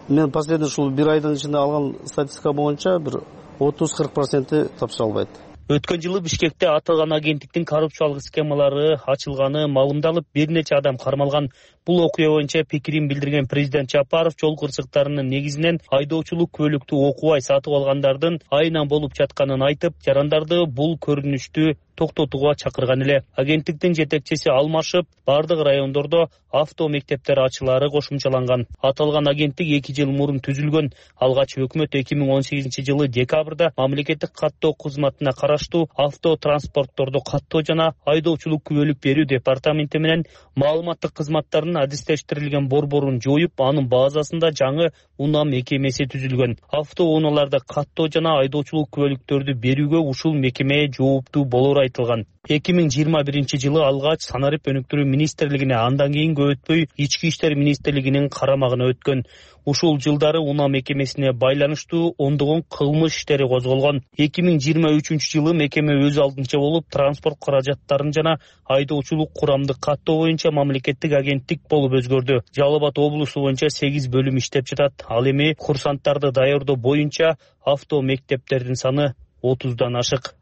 Мен последний ушул бир айдын ичинде алган статистика боюнча бир отуз кырк проценти тапшыра албайт. Өткөн жылы Бишкекте аталган агенттиктин коррупциялык схемалары ачылганы маалымдалып, бир нече адам кармалган. Бул окуя боюнча пикирин билдирген президент Жапаров жол кырсыктарынын негизинен айдоочулук күбөлүктү окубай сатып алгандардын айынан болуп жатканын айтып, жарандарды бул көрүнүштү токтотууга чакырган эле. Агенттиктин жетекчиси алмашып, бардык райондордо авто мектептер ачылаары кошумчаланган. Аталган агенттик эки жыл мурун түзүлгөн. Алгач өкмөт эки миң он сегизинчи жылы декабрда мамлекеттик каттоо кызматына караштуу авто транспортторду каттоо жана айдоочулук күбөлүк берүү департаменти менен маалыматтык кызматтардын адистештирилген борборун жоюп, анын базасында жаңы унаа мекемеси түзүлгөн. Авто унааларды каттоо жана айдоочулук күбөлүктөрдү берүүгө ушул мекеме жооптуу болору айтылган. эки миң жыйырма биринчи жылы алгач санарип өнүктүрүү министрлигине, андан кийин көп өтпөй ички иштер министрлигинин карамагына өткөн. Ушул жылдары унаа мекемесине байланыштуу ондогон кылмыш иштери козголгон. эки миң жыйырма үчүнчү жылы мекеме өз алдынча болуп, транспорт каражаттарын жана айдоочулук курамды каттоо боюнча мамлекеттик агенттик болуп өзгөрдү. Жалал Абад облусу боюнча сегиз бөлүм иштеп жатат. Ал эми курсанттарды даярдоо боюнча авто мектептердин саны отуздан ашык.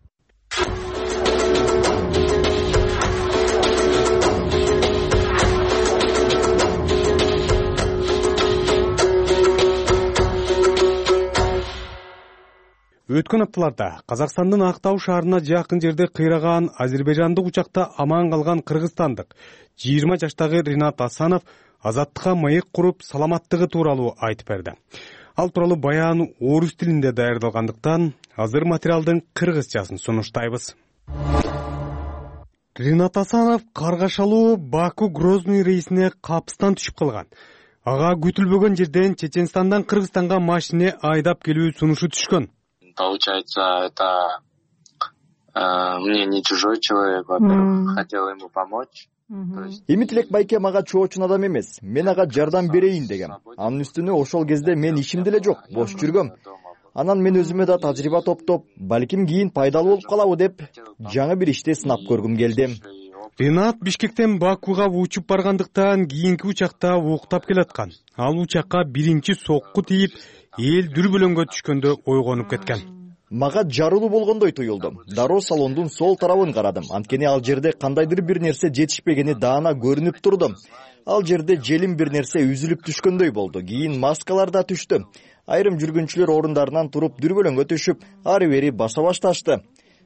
Өткөн апталарда Казакстандын Актау шаарына жакын жерде кыйраган азербайжандык учакта аман калган кыргызстандык жыйырма жаштагы Ринат Асанов азаттыкка маек куруп саламаттыгы тууралуу айтып берди. Ал тууралуу баян орус тилинде даярдалгандыктан азыр материалдын кыргызчасын сунуштайбыз. Ринат Асанов каргашалуу Баку Грозный рейсине капыстан түшүп калган. Ага күтүлбөгөн жерден Чеченстандан Кыргызстанга машине айдап келүү сунушу түшкөн. Получается, это э, мне не чужой человек, во-первых, mm. хотел ему помочь. Эми Тилек байке мага чоочун адам эмес, мен ага жардам берейин дегем. Анын үстүнө ошол кезде мен ишим деле жок, бош жүргөм. Анан мен өзүмө да тажрыйба топтоп, балким кийин пайдалуу болуп калабы деп, жаңы бир ишти сынап көргүм келди. Ринат Бишкектен Бакуга учуп баргандыктан кийинки учакта уктап келаткан. Ал учакка биринчи сокку тийип, эл дүрбөлөңгө түшкөндө ойгонуп кеткен. Мага жарылуу болгондой туюлду. Дароо салондун сол тарабын карадым. Анткени ал жерде кандайдыр бир нерсе жетишпегени даана көрүнүп турду. Ал жерде желим бир нерсе үзүлүп түшкөндөй болду. Кийин маскалар да түштү. Айрым жүргүнчүлөр орундарынан туруп дүрбөлөңгө түшүп, ары бери баса башташты.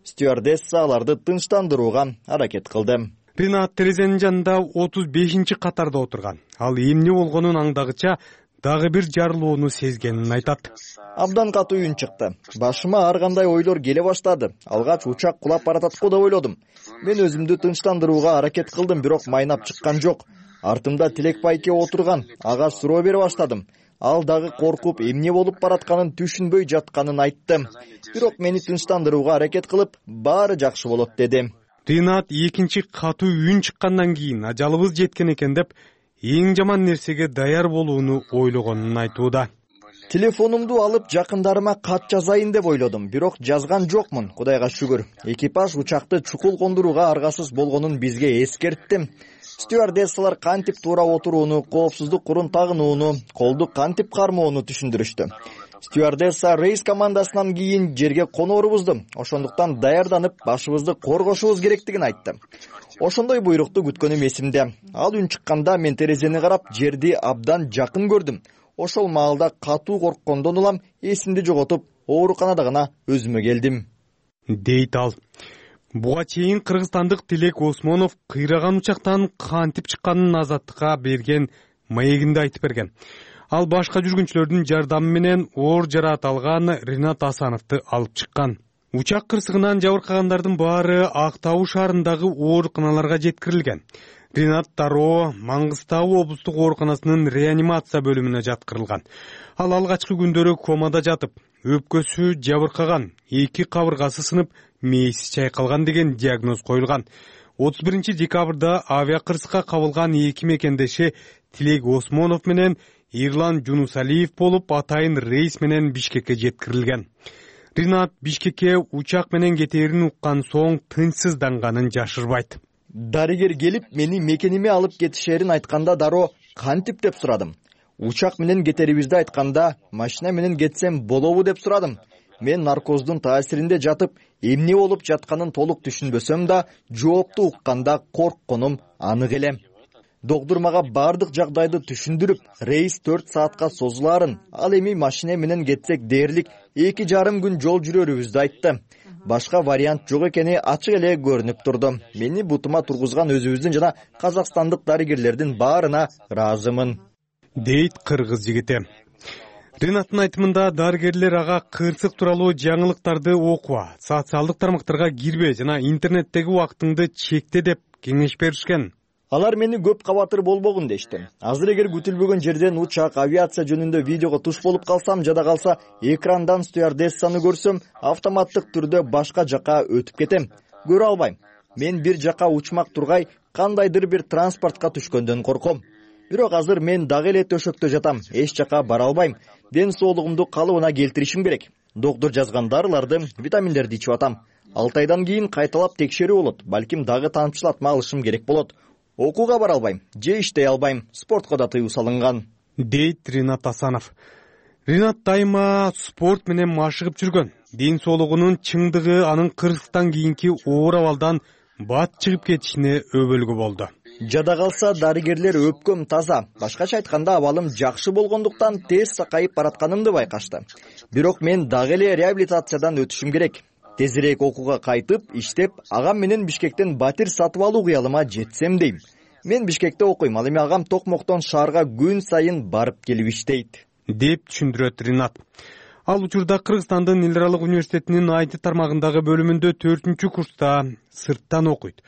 Стюардесса аларды тынчтандырууга аракет кылды. Ринат терезенин жанында отуз бешинчи катарда отурган. Ал эмне болгонун аңдагыча дагы бир жарылууну сезгенин айтат. Абдан катуу үн чыкты. Башыма ар кандай ойлор келе баштады. Алгач учак кулап баратат го деп ойлодум. Мен өзүмдү тынчтандырууга аракет кылдым, бирок майнап чыккан жок. Артымда Тилек байке отурган. Ага суроо бере баштадым. Ал дагы коркуп, эмне болуп баратканын түшүнбөй жатканын айтты. Бирок мени тынчтандырууга аракет кылып, баары жакшы болот деди. Ринат экинчи катуу үн чыккандан кийин ажалыбыз жеткен экен деп, эң жаман нерсеге даяр болууну ойлогонун айтууда. Телефонумду алып жакындарыма кат жазайын деп ойлодум, бирок жазган жокмун, Кудайга шүгүр. Экипаж учакты чукул кондурууга аргасыз болгонун бизге эскертти. Стюардессалар кантип туура отурууну, коопсуздук курун тагынууну, колду кантип кармоону түшүндүрүштү. Стюардесса рейс командасынан кийин жерге конорубузду, ошондуктан даярданып, башыбызды коргошубуз керектигин айтты. Ошондой буйрукту күткөнүм эсимде. Ал үн чыкканда мен терезени карап, жерди абдан жакын көрдүм. Ошол маалда катуу корккондон улам эсимди жоготуп, ооруканада гана өзүмө келдим. Дейт ал. Буга чейин кыргызстандык Тилек Осмонов кыйраган учактан кантип чыкканын Азаттыкка берген маегинде айтып берген. Ал башка жүргүнчүлөрдүн жардамы менен оор жараат алган Ринат Асановду алып чыккан. Учак кырсыгынан жабыркагандардын баары Актау шаарындагы ооруканаларга жеткирилген. Ринат дароо Маңгыстау облустук ооруканасынын реанимация бөлүмүнө жаткырылган. Ал алгачкы күндөрү комада жатып, өпкөсү жабыркаган, эки кабыргасы сынып, мээси чайкалган деген диагноз коюлган. отуз биринчи декабрда авиа кырсыкка кабылган эки мекендеши Тилек Осмонов менен Ирлан Жунусалиев болуп, атайын рейс менен Бишкекке жеткирилген. Ринат Бишкекке учак менен кетээрин уккан соң тынчсызданганын жашырбайт. Дарыгер келип, мени мекениме алып кетишерин айтканда дароо кантип деп сурадым. Учак менен кетерибизди айтканда, машина менен кетсем болобу деп сурадым. Мен наркоздун таасиринде жатып, эмне болуп жатканын толук түшүнбөсөм да, жоопту укканда коркконум анык эле. Доктор мага бардык жагдайды түшүндүрүп, рейс төрт саатка созулаарын, ал эми машина менен кетсек дээрлик эки жарым күн жол жүрөрүбүздү айтты. Башка вариант жок экени ачык эле көрүнүп турду. Мени бутума тургузган өзүбүздүн жана казакстандык дарыгерлердин баарына ыраазымын, дейт кыргыз жигити. Ринаттын айтымында дарыгерлер ага кырсык тууралуу жаңылыктарды окуба, социалдык тармактарга кирбе жана интернеттеги убактыңды чекте деп кеңеш беришкен. Алар мени көп кабатыр болбогун дешти. Азыр эгер күтүлбөгөн жерден учак, авиация жөнүндө видеого туш болуп калсам, жада калса экрандан стюардессаны көрсөм, автоматтык түрдө башка жака өтүп кетем. Көрө албайм. Мен бир жака учмак тургай, кандайдыр бир транспортко түшкөндөн корком. Бирок азыр мен дагы эле төшөктө жатам, эч жака бара албайм. Ден соолугумду калыбына келтиришим керек. Доктор жазган дарыларды, витаминдерди ичип атам. алты айдан кийин кайталап текшерүү болот. Балким дагы тамчылатма алышым керек болот. Окууга бара албайм, же иштей албайм, спортко да тыюу салынган, дейт Ринат Асанов. Ринат дайыма спорт менен машыгып жүргөн. Ден соолугунун чыңдыгы анын кырсыктан кийинки оор абалдан бат чыгып кетишине өбөлгү болду. Жада калса дарыгерлер өпкөм таза. Башкача айтканда абалым жакшы болгондуктан тез сакайып баратканымды байкашты. Бирок мен дагы эле реабилитациядан өтүшүм керек. Тезирээк окууга кайтып, иштеп, агам менен Бишкектен батир сатып алуу кыялыма жетсем дейм. Мен Бишкекте окуйм, ал эми агам Токмоктон шаарга күн сайын барып келип иштейт, деп түшүндүрөт Ринат. Ал учурда Кыргызстандын Эл аралык университетинин ай ти тармагындагы бөлүмүндө төртүнчү курста сырттан окуйт.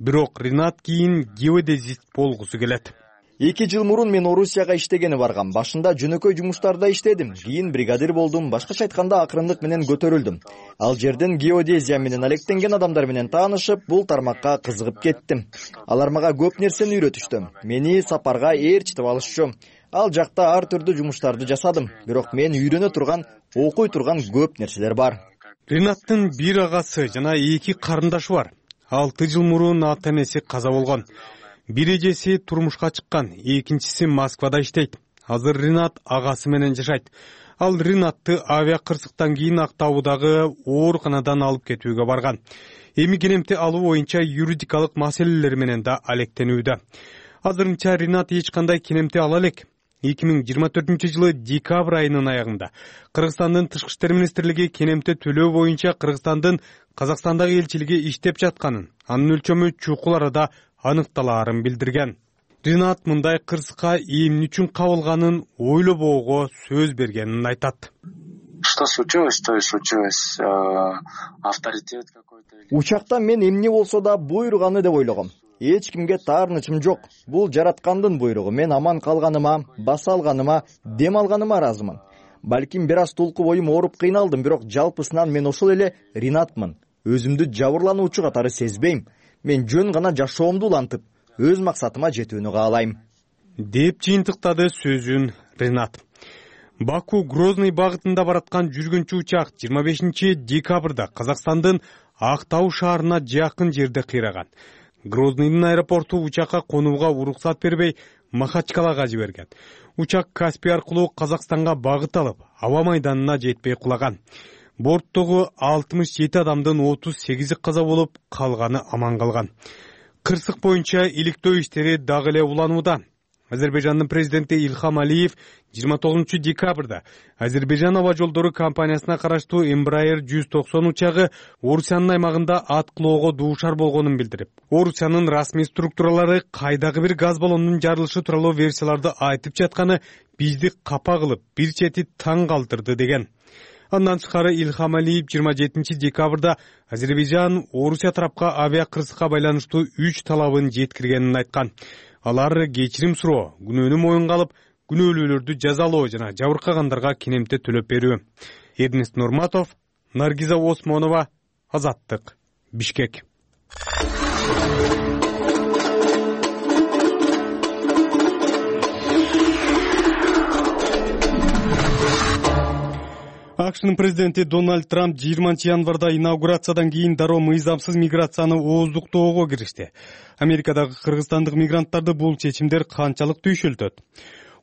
Бирок Ринат кийин геодезист болгусу келет. эки жыл мурун мен Орусияга иштегени баргам. Башында жөнөкөй жумуштарда иштедим. Кийин бригадир болдум. Башкача айтканда акырындык менен көтөрүлдүм. Ал жерден геодезия менен алектенген адамдар менен таанышып, бул тармакка кызыгып кеттим. Алар мага көп нерсени үйрөтүштү. Мени сапарга ээрчитип алышчу. Ал жакта ар түрдүү жумуштарды жасадым. Бирок мен үйрөнө турган, окуй турган көп нерселер бар. Ринаттын бир агасы жана эки карындашы бар. алты жыл мурун ата энеси каза болгон. Бир эжеси турмушка чыккан, экинчиси Москвада иштейт. Азыр Ринат агасы менен жашайт. Ал Ринатты авиа кырсыктан кийин Актаудагы ооруканадан алып кетүүгө барган. Эми келемти алуу боюнча юридикалык маселелер менен да алектенүүдө. Азырынча Ринат эч кандай келемти ала элек. эки миң жыйырма төртүнчү жылы декабрь айынын аягында Кыргызстандын Тышкы иштер министрлиги келемти төлөө боюнча Кыргызстандын Казакстандагы элчилиги иштеп жатканын, анын өлчөмү чукул арада аныкталаарын билдирген. Ринат мындай кырсыкка эмне үчүн кабылганын ойлобоого сөз бергенин айтат. Что случилось, то и случилось. Авторитет какой-то. Учакта мен эмне болсо да буйруганы деп ойлогом. Эч кимге таарынычым жок. Бул жараткандын буйругу. Мен аман калганыма, баса алганыма, дем алганыма ыраазымын. Балким бир аз толку боюм ооруп кыйналдым, бирок жалпысынан мен ошол эле Ринатмын. Өзүмдү жабырлануучу катары сезбейм. Мен жөн гана жашоомду улантып, өз максатыма жетүүнү каалайм, деп жыйынтыктады сөзүн Ринат. Баку Грозный багытында бараткан жүргүнчү учак жыйырма бешинчи декабрда Казакстандын Актау шаарына жакын жерде кыйраган. Грознийдин аэропорту учакка конууга уруксат бербей, Махачкалага жиберген. Учак Каспий аркылуу Казакстанга багыт алып, аба майданына жетпей кулаган. Борттогу алтымыш жети адамдын отуз сегизи каза болуп, калганы аман калган. Кырсык боюнча иликтөө иштери дагы эле уланууда. Азербайжандын президенти Илхам Алиев жыйырма тогузунчу декабрда Азербайжан аба жолдору компаниясына караштуу Embraer жүз токсон учагы Орусиянын аймагында аткылоого дуушар болгонун билдирип, Орусиянын расмий структуралары кайдагы бир газ баллонунун жарылышы тууралуу версияларды айтып жатканы бизди капа кылып, бир чети таң калтырды деген. Андан тышкары Илхам Алиев жыйырма жетинчи декабрда Азербайжан Орусия тарапка авиа кырсыкка байланыштуу үч талабын жеткиргенин айткан. Алар кечирим суроо, күнөөнү моюнга алып, күнөөлүүлөрдү жазалоо жана жабыркагандарга кинемте төлөп берүү. Эрнест Нурматов, Наргиза Осмонова, Азаттык, Бишкек. АКШнын президенти Дональд Трамп жыйырманчы январда инаугурациядан кийин дароо мыйзамсыз миграцияны ооздуктоого киришти. Америкадагы кыргызстандык мигранттарды бул чечимдер канчалык түйшөлтөт?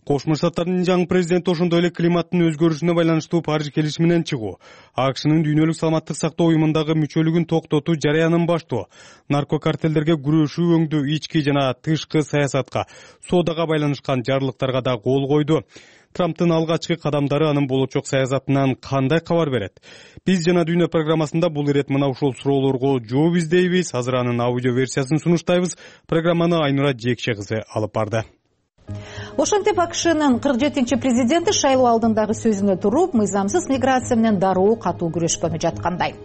Кошмо Штаттардын жаңы президенти ошондой эле климаттын өзгөрүшүнө байланыштуу Париж келишиминен чыгуу, АКШнын дүйнөлүк саламаттык сактоо уюмундагы мүчөлүгүн токтотуу жарыянын баштоо, наркокартелдерге күрөшүү өңдүү, ички жана тышкы саясатка, соодага байланышкан жарлыктарга да кол койду. Трамптын алгачкы кадамдары анын болочок саясатынан кандай кабар берет? Биз жана Дүйнө программасында бул ирет мына ушул суроолорго жооп издейбиз. Азыр анын аудио версиясын сунуштайбыз. Программаны Айнура Жекше кызы алып барды. Ошентип АКШнын кырк жетинчи президенти шайлоо алдындагы сөзүнө туруп, мыйзамсыз миграция менен дароо катуу күрөшкөнү жаткандай.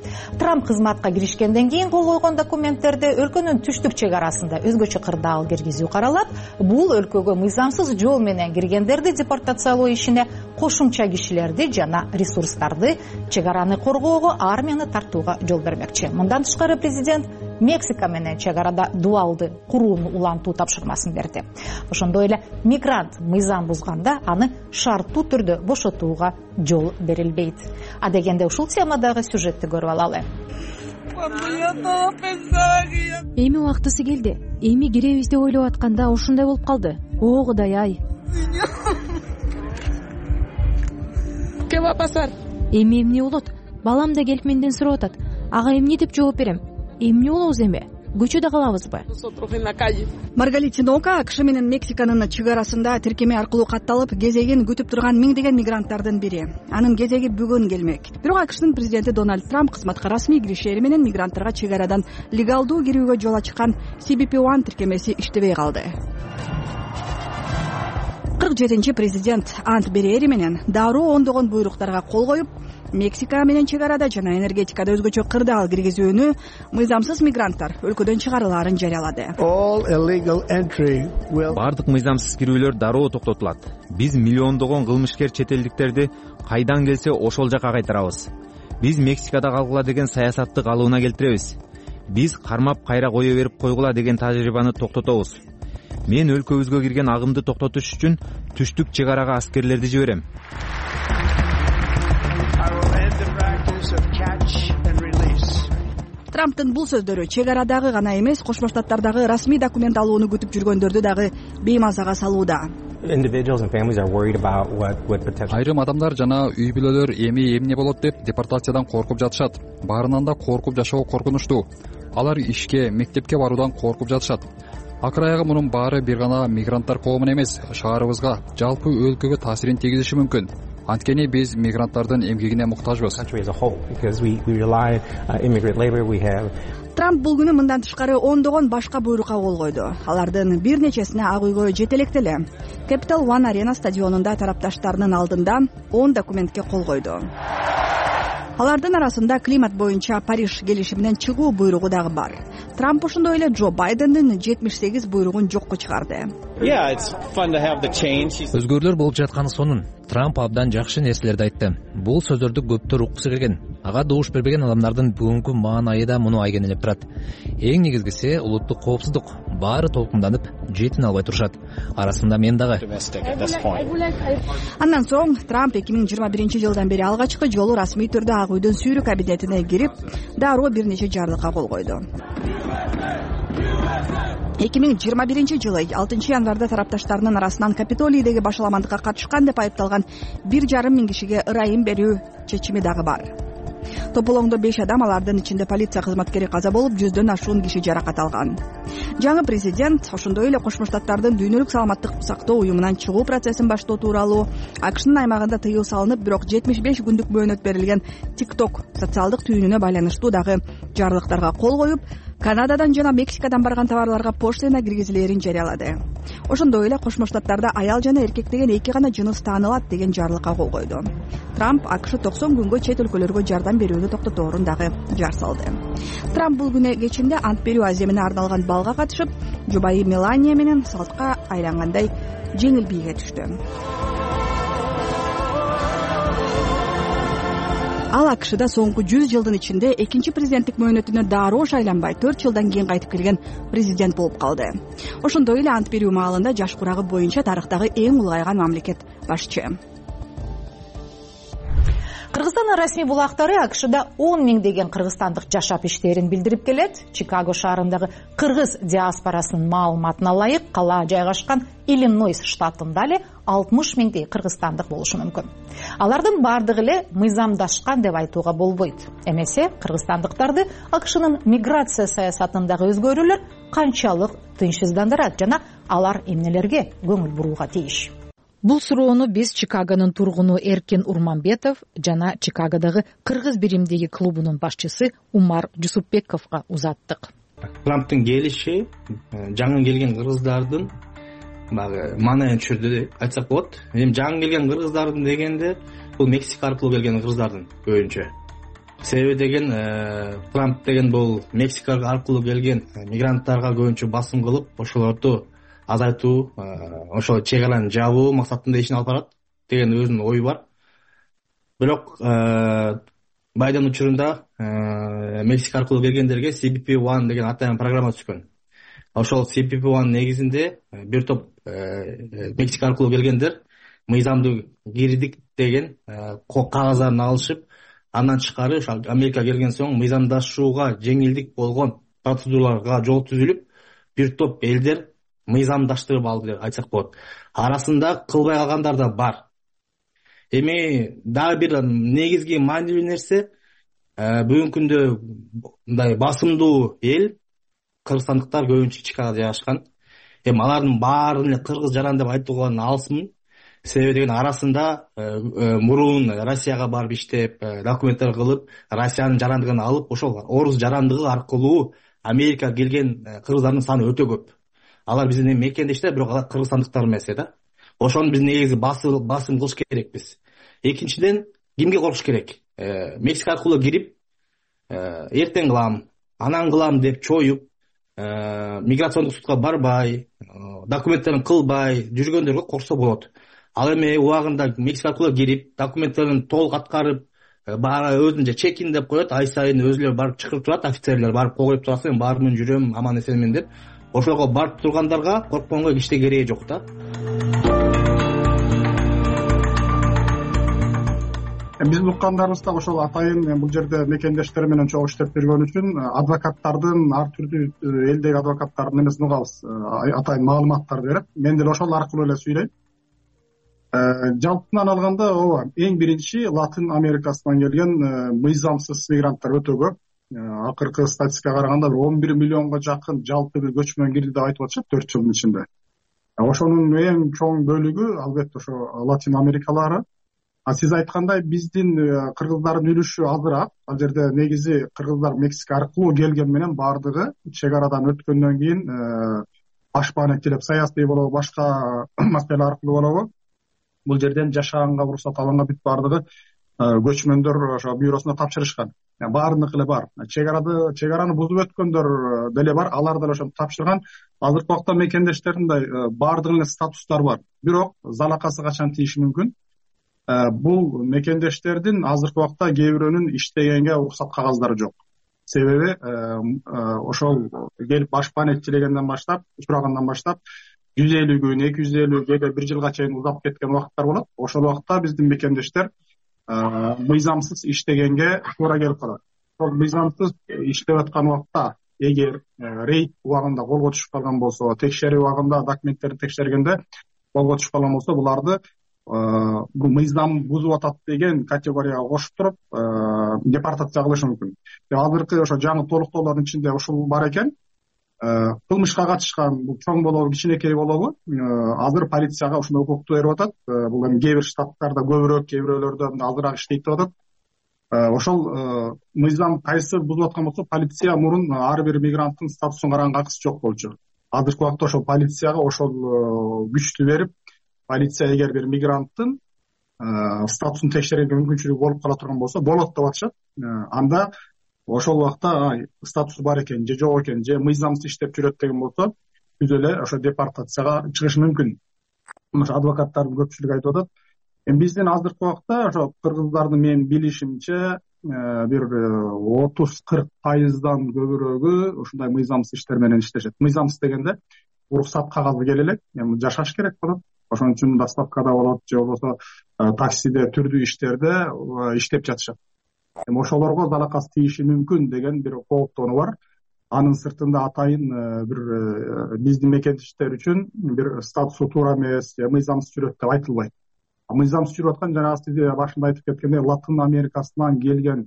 Трамп кызматка киришкенден кийин кол койгон документтерде өлкөнүн түштүк чек арасында өзгөчө кырдаал киргизүү каралат. Бул өлкөгө мыйзамсыз жол менен киргендерди депортациялоо ишине, кошумча кишилерди жана ресурстарды, чек араны коргоого, армияны тартууга жол бермекчи. Мындан тышкары президент Мексика менен чек арада дуалды курууну улантуу тапшырмасын берди. Ошондой эле мигрант мыйзам бузганда аны шарттуу түрдө бошотууга жол берилбейт. А дегенде ушул темадагы сюжетти көрүп алалы. Эми убактысы келди. Эми киребиз деп ойлоп атканда ушундай болуп калды. О Кудай ай. Ке va pasar? Эми эмне болот? Балам да келип менден сурап атат. Ага эмне деп жооп берем? Эмне болобуз эми? Көчөдө калабызбы? Маргалит Тинока АКШ менен Мексиканын чек арасында тиркеме аркылуу катталып, кезегин күтүп турган миңдеген мигранттардын бири. Анын кезеги бүгүн келмек. Бирок АКШнын президенти Дональд Трамп кызматка расмий киришери менен мигранттарга чек арадан легалдуу кирүүгө жол ачкан си би пи один тиркемеси иштебей калды. кырк жетинчи президент ант берери менен дароо ондогон буйруктарга кол коюп, Мексика менен чек арада жана энергетикада өзгөчө кырдаал киргизүүнү, мыйзамсыз мигранттар өлкөдөн чыгарылаарын жарыялады. Бардык мыйзамсыз кирүүлөр дароо токтотулат. Биз миллиондогон кылмышкер чет элдиктерди кайдан келсе ошол жака кайтарабыз. Биз Мексикада калгыла деген саясатты калыбына келтиребиз. Биз кармап кайра кое берип койгула деген тажрыйбаны токтотобуз. Мен өлкөбүзгө кирген агымды токтотуш үчүн түштүк чек арага аскерлерди жиберем. Трамптын бул сөздөрү чек арадагы гана эмес, Кошмо Штаттардагы расмий документ алууну күтүп жүргөндөрдү дагы беймазага салууда. Айрым адамдар жана үй бүлөлөр эми эмне болот деп депортациядан коркуп жатышат. Баарынан да коркуп жашоо коркунучтуу. Алар ишке, мектепке баруудан коркуп жатышат. Акыр аягы мунун баары бир гана мигранттар коомуна эмес, шаарыбызга, жалпы өлкөгө таасирин тийгизиши мүмкүн. Анткени биз мигранттардын эмгегине муктажбыз. Трамп бул күнү мындан тышкары ондогон башка буйрукка кол койду. Алардын бир нечесине ак үйгө жете электе эле. Capital One Arena стадионунда тарапташтарынын алдында он документке кол койду. Алардын арасында климат боюнча Париж келишиминен чыгуу буйругу дагы бар. Трамп ошондой эле Джо Байдендин жетимиш сегиз буйругун жокко чыгарды. Өзгөрүүлөр болуп жатканы сонун. Трамп абдан жакшы нерселерди айтты. Бул сөздөрдү көптөр уккусу келген. Ага добуш бербеген адамдардын бүгүнкү маанайы да муну айгинелеп турат. Эң негизгиси улуттук коопсуздук. Баары толкунданып, жетин албай турушат. Арасында мен дагы. Андан соң Трамп эки миң жыйырма биринчи жылдан бери алгачкы жолу расмий түрдө Ак үйдүн сүйрүү кабинетине кирип, дароо бир нече жарлыкка кол койду. эки миң жыйырма биринчи жылы алтынчы январда тарапташтарынын арасынан Капитолийдеги башаламандыкка катышкан деп айыпталган бир жарым миң кишиге ырайым берүү чечими дагы бар. тополоңдо беш адам, алардын ичинде полиция кызматкери каза болуп, жүздөн ашуун киши жаракат алган. Жаңы президент ошондой эле Кошмо Штаттардын дүйнөлүк саламаттык сактоо уюмунан чыгуу процессин баштоо тууралуу, АКШнын аймагында тыюу салынып, бирок жетимиш беш күндүк мөөнөт берилген TikTok социалдык түйүнүнө байланыштуу дагы жарлыктарга кол коюп, Канададан жана Мексикадан барган товарларга поштина киргизилээрин жарыялады. Ошондой эле Кошмо Штаттарда аял жана эркек деген эки гана жыныс таанылат деген жарлыкка кол койду. Трамп АКШ токсон күнгө чет өлкөлөргө жардам берүүнү токтоторун дагы жар салды. Трамп бул күнү кечинде ант берүү аземине арналган балга катышып, жубайы Мелания менен салтка айлангандай жеңил бийге түштү. Ал АКШда соңку жүз жылдын ичинде экинчи президенттик мөөнөтүнө дароо шайланбай төрт жылдан кийин кайтып келген президент болуп калды. Ошондой эле ант берүү маалында жаш курагы боюнча тарыхтагы эң улгайган мамлекет башчы. Кыргызстандын расмий булактары АКШда он миңдеген кыргызстандык жашап иштерин билдирип келет. Чикаго шаарындагы кыргыз диаспорасынын маалыматына ылайык, кала жайгашкан Иллинойс штатында эле алтымыш миңдей кыргызстандык болушу мүмкүн. Алардын бардыгы эле мыйзамдашкан деп айтууга болбойт. Эмесе кыргызстандыктарды АКШнын миграция саясатындагы өзгөрүүлөр канчалык тынчсыздандырат жана алар эмнелерге көңүл бурууга тийиш? Бул суроону биз Чикагонун тургуну Эркин Урманбетов жана Чикагодагы кыргыз биримдиги клубунун башчысы Умар Жусупбековго узаттык. Трамптын келиши жаңы келген кыргыздардын баягы маанайын түшүрдү деп айтсак болот. Эми жаңы келген кыргыздардын дегенде бул Мексика аркылуу келген кыргыздардын көбүнчө. Себеби деген Трамп деген бул Мексика аркылуу келген мигранттарга көбүнчө басым кылып, ошолорду азайтуу, ошол чек араны жабуу максатында ишин алып барат деген өзүнүн ою бар. Бирок Байден учурунда Мексика аркылуу келгендерге си би пи один деген атайын программа түшкөн. Ошол си би пи один негизинде бир топ Мексика аркылуу келгендер мыйзамдуу кирдик деген кагаздарын алышып, андан тышкары Америкага келген соң мыйзамдашууга жеңилдик болгон процедураларга жол түзүлүп, бир топ элдер мыйзамдаштырып алды деп айтсак болот. Арасында кылбай калгандар да бар. Эми дагы бир негизги маанилүү нерсе, бүгүнкү күндө мындай басымдуу эл кыргызстандыктар көбүнчө Чикагода жайгашкан. Эми алардын баарын эле кыргыз жаран деп айтууга алысмын. Себеби деген арасында мурун Россияга барып иштеп, документтер кылып, Россиянын жарандыгын алып, ошол орус жарандыгы аркылуу Америкага келген кыргыздардын саны өтө көп. Алар биздин мекендештер, бирок алар кыргызстандыктар эмес да. Ошону биз негизи басым басым кылыш керекпиз. Экинчиден, кимге коркуш керек? Мексика аркылуу кирип, эртең кылам, анан кылам деп чоюп, миграциондук судка барбай, документтерин кылбай жүргөндөргө корксо болот. Ал эми убагында Мексика аркылуу кирип, документтерин толук аткарып, өзүнчө чекин деп коет, ай сайын өзүлөр барып чакырып турат, офицерлер барып коюп турасың, бармын, жүрөм, аман эсенмин деп. Ошого барып тургандарга коркконго эчтеке кереги жок да. Биз уккандарыбызда ошол атайын бул жерде мекендештер менен чогуу иштеп жүргөн үчүн адвокаттардын ар түрдүү элдеги адвокаттардын эмесин угабыз, атайын маалыматтарды берет. Мен деле ошол аркылуу эле сүйлөйм. Жалпынан алганда ооба, эң биринчи Латын Америкасынан келген мыйзамсыз мигранттар өтө көп. Акыркы статистикага караганда он бир миллионго жакын жалпы бир көчмөн кирди деп айтып атышат төрт жылдын ичинде. Ошонун эң чоң бөлүгү албетте ошо Латин Америкалары. А сиз айткандай биздин кыргыздардын үлүшү азыраак. Ал жерде негизи кыргыздар Мексика аркылуу келген менен бардыгы чек арадан өткөндөн кийин башпаанеттелеп саясий болобу, башка маселе аркылуу болобу бул жерден жашаганга уруксат алганга бүт бардыгы көчмөндөр ошо бюросуна тапшырышкан. Баарыныкы эле бар. Чек арады, чек араны бузуп өткөндөр деле бар. Алар деле ошону тапшырган. Азыркы убакта мекендештердин баардыгынын статустары бар. Бирок залакасы качан тийиши мүмкүн? Бул мекендештердин азыркы убакта кээ бирөөнүн иштегенге уруксат кагаздары жок. Себеби ошол келип башпаанеттелегенден баштап, сурагандан баштап жүз элүү күн, эки жүз элүү, кээде бир жылга чейин узап кеткен убакыттар болот. Ошол убакта биздин мекендештер мыйзамсыз иштегенге туура келип калат. Ошол мыйзамсыз иштеп аткан убакта эгер рейд убагында колго түшүп калган болсо, текшерүү убагында документтерди текшергенде колго түшүп калган болсо, буларды бул мыйзам бузуп атат деген категорияга кошуп туруп, депортация кылышы мүмкүн. Азыркы ошо жаңы толуктоолордун ичинде ушул бар экен. Кылмышка катышкан бул чоң болобу кичинекей болобу азыр полицияга ушундай укукту берип атат. Бул эми кээ бир штаттарда көбүрөөк, кээ бирөөлөрдө азыраак иштейт деп атат. Ошол мыйзам кайсы бузуп аткан болсо полиция мурун ар бир мигранттын статусун караганга акысы жок болчу. Азыркы убакта ошол полицияга ошол күчтү берип, полиция эгер бир мигранттын статусун текшерүүгө мүмкүнчүлүгү болуп кала турган болсо болот деп атышат. Анда ошол убакта статусу бар экен же жок экен же мыйзамсыз иштеп жүрөт деген болсо түз эле ошо депортацияга чыгышы мүмкүн. Ошо адвокаттардын көпчүлүгү айтып атат. Эми биздин азыркы убакта ошо кыргыздардын менин билишимче бир отуз кырк пайыздан көбүрөөгү ушундай мыйзамсыз иштер менен иштешет. Мыйзамсыз дегенде уруксат кагазы келе элек, эми жашаш керек болот. Ошон үчүн доставкада болот же болбосо таксиде түрдүү иштерде иштеп жатышат. Эми ошолорго залакасы тийиши мүмкүн деген бир кооптонуу бар. Анын сыртында атайын бир биздин мекендештер үчүн бир статусу туура эмес, мыйзамсыз жүрөт деп айтылбайт. Мыйзамсыз жүрүп аткан жана сиз башында айтып кеткендей Латын Америкасынан келген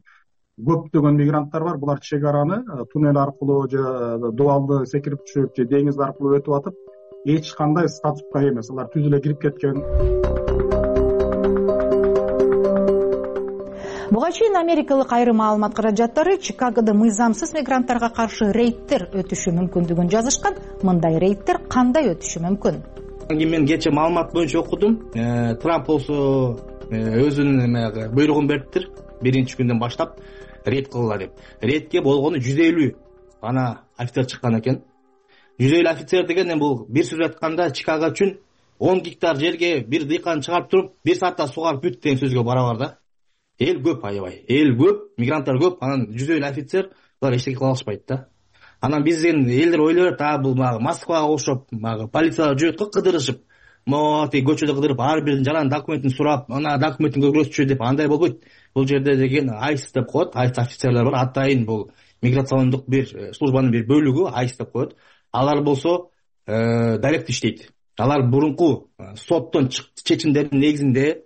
көптөгөн мигранттар бар. Булар чек араны туннель аркылуу же дубалды секирип түшүп же деңиз аркылуу өтүп атып, эч кандай статуска эмес, алар түз эле кирип кеткен. Буга чейин америкалык айрым маалымат каражаттары Чикагода мыйзамсыз мигранттарга каршы рейдтер өтүшү мүмкүндүгүн жазышкан. Мындай рейдтер кандай өтүшү мүмкүн? Мен кечээ маалымат боюнча окудум. Трамп болсо өзүнүн буйругун бериптир. Биринчи күндөн баштап рейд кылгыла деп. Рейдке болгону жүз элүү гана офицер чыккан экен. жүз элүү офицер деген бул бир сөз айтканда Чикаго үчүн он гектар жерге бир дыйкан чыгарып туруп, бир саатта сугарып бүт деген сөзгө барабар да. Эл көп, аябай. Эл көп, мигранттар көп, анан жүз элүү офицер булар эчтеке кыла алышпайт да. Анан биздин элдер ойлойт, а бул Москвага окшоп, полициялар жүрөт го кыдырышып, мо тиги көчөдө кыдырып, ар биринин жалаң документин сурап, ана документин көрсөтчү деп андай болбойт. Бул жерде деген айс деп коет, айс офицерлер бар. Атайын бул миграциондук бир службанын бир бөлүгү айс деп коет. Алар болсо дарект иштейт. Алар мурунку соттон чечимдердин негизинде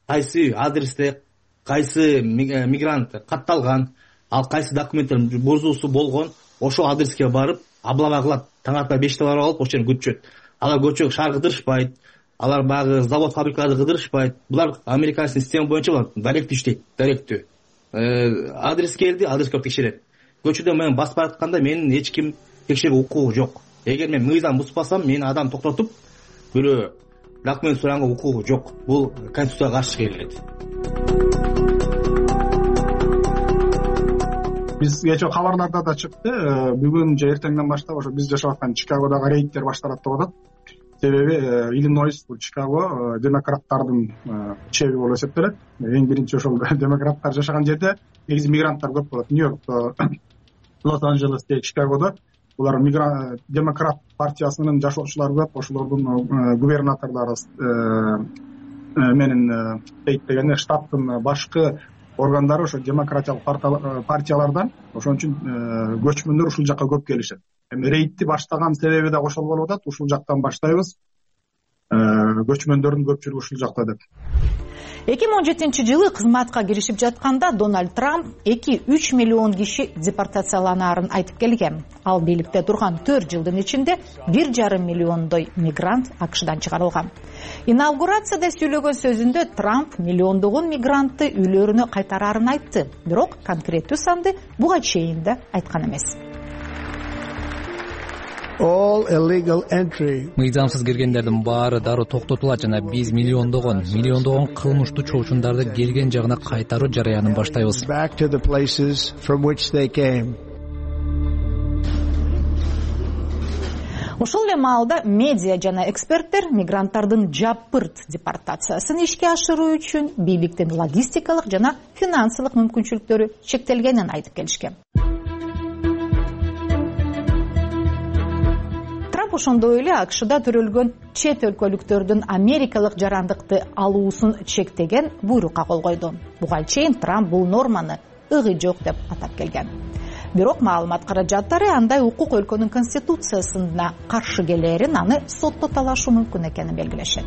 кайсы адресте кайсы мигрант катталган, ал кайсы документтер бузуусу болгон, ошол адреске барып облава кылат. Таң ата беште барып алып ошол жерге көчөт. Алар көчөгө шаар кыдырышпайт, алар багы завод фабрикаларды кыдырышпайт. Булар американский система боюнча дарект иштейт, даректүү. Адрес келди, адреске барып текшерет. Көчөдө мен басып баратканда менин эч ким текшерүү укугу жок. Эгер мен мыйзам бузбасам, мени адам токтотуп, бирөө документ сураганга укугу жок. Бул конституцияга каршы келет. Биз кечээ кабарларда да чыкты. Бүгүн же эртеңден баштап ошо биз жашап аткан Чикагодагы рейдтер башталат деп атат. Себеби Иллинойс, бул Чикаго демократтардын чеби болуп эсептелет. Эң биринчи ошол демократтар жашаган жерде негизи мигранттар көп болот. Нью-Йоркто, Лос-Анджелесте, Чикагодо булар демократ партиясынын жашоочулары көп, ошолордун губернаторлору менен дейт дегенде штаттын башкы органдары ошо демократиялык партиялардан, ошон үчүн көчмөндөр ушул жакка көп келишет. Эми рейдти баштаган себеби да ошол болуп атат. Ушул жактан баштайбыз. Көчмөндөрдүн көпчүлүгү ушул жакта деп. эки миң он жетинчи жылы кызматка киришип жатканда Дональд Трамп эки үч миллион киши депортацияланаарын айтып келген. Ал бийликте турган төрт жылдын ичинде бир жарым миллиондой мигрант АКШдан чыгарылган. Инаугурацияда сүйлөгөн сөзүндө Трамп миллиондогон мигрантты үйлөрүнө кайтараарын айтты. Бирок конкреттүү санды буга чейин да айткан эмес. Мыйзамсыз киргендердин баары дароо токтотулат жана биз миллиондогон, миллиондогон кылмыштуу чоочундарды келген жагына кайтаруу жараянын баштайбыз. Ошол эле маалда медиа жана эксперттер мигранттардын жапырт депортациясын ишке ашыруу үчүн бийликтин логистикалык жана финансылык мүмкүнчүлүктөрү чектелгенин айтып келишкен. Ошондой эле АКШда төрөлгөн чет өлкөлүктөрдүн америкалык жарандыкты алуусун чектеген буйрукка кол койду. Буга чейин Трамп бул норманы ыгы жок деп атап келген. Бирок маалымат каражаттары андай укук өлкөнүн конституциясына каршы келерин, аны сотто талашуу мүмкүн экенин белгилешет.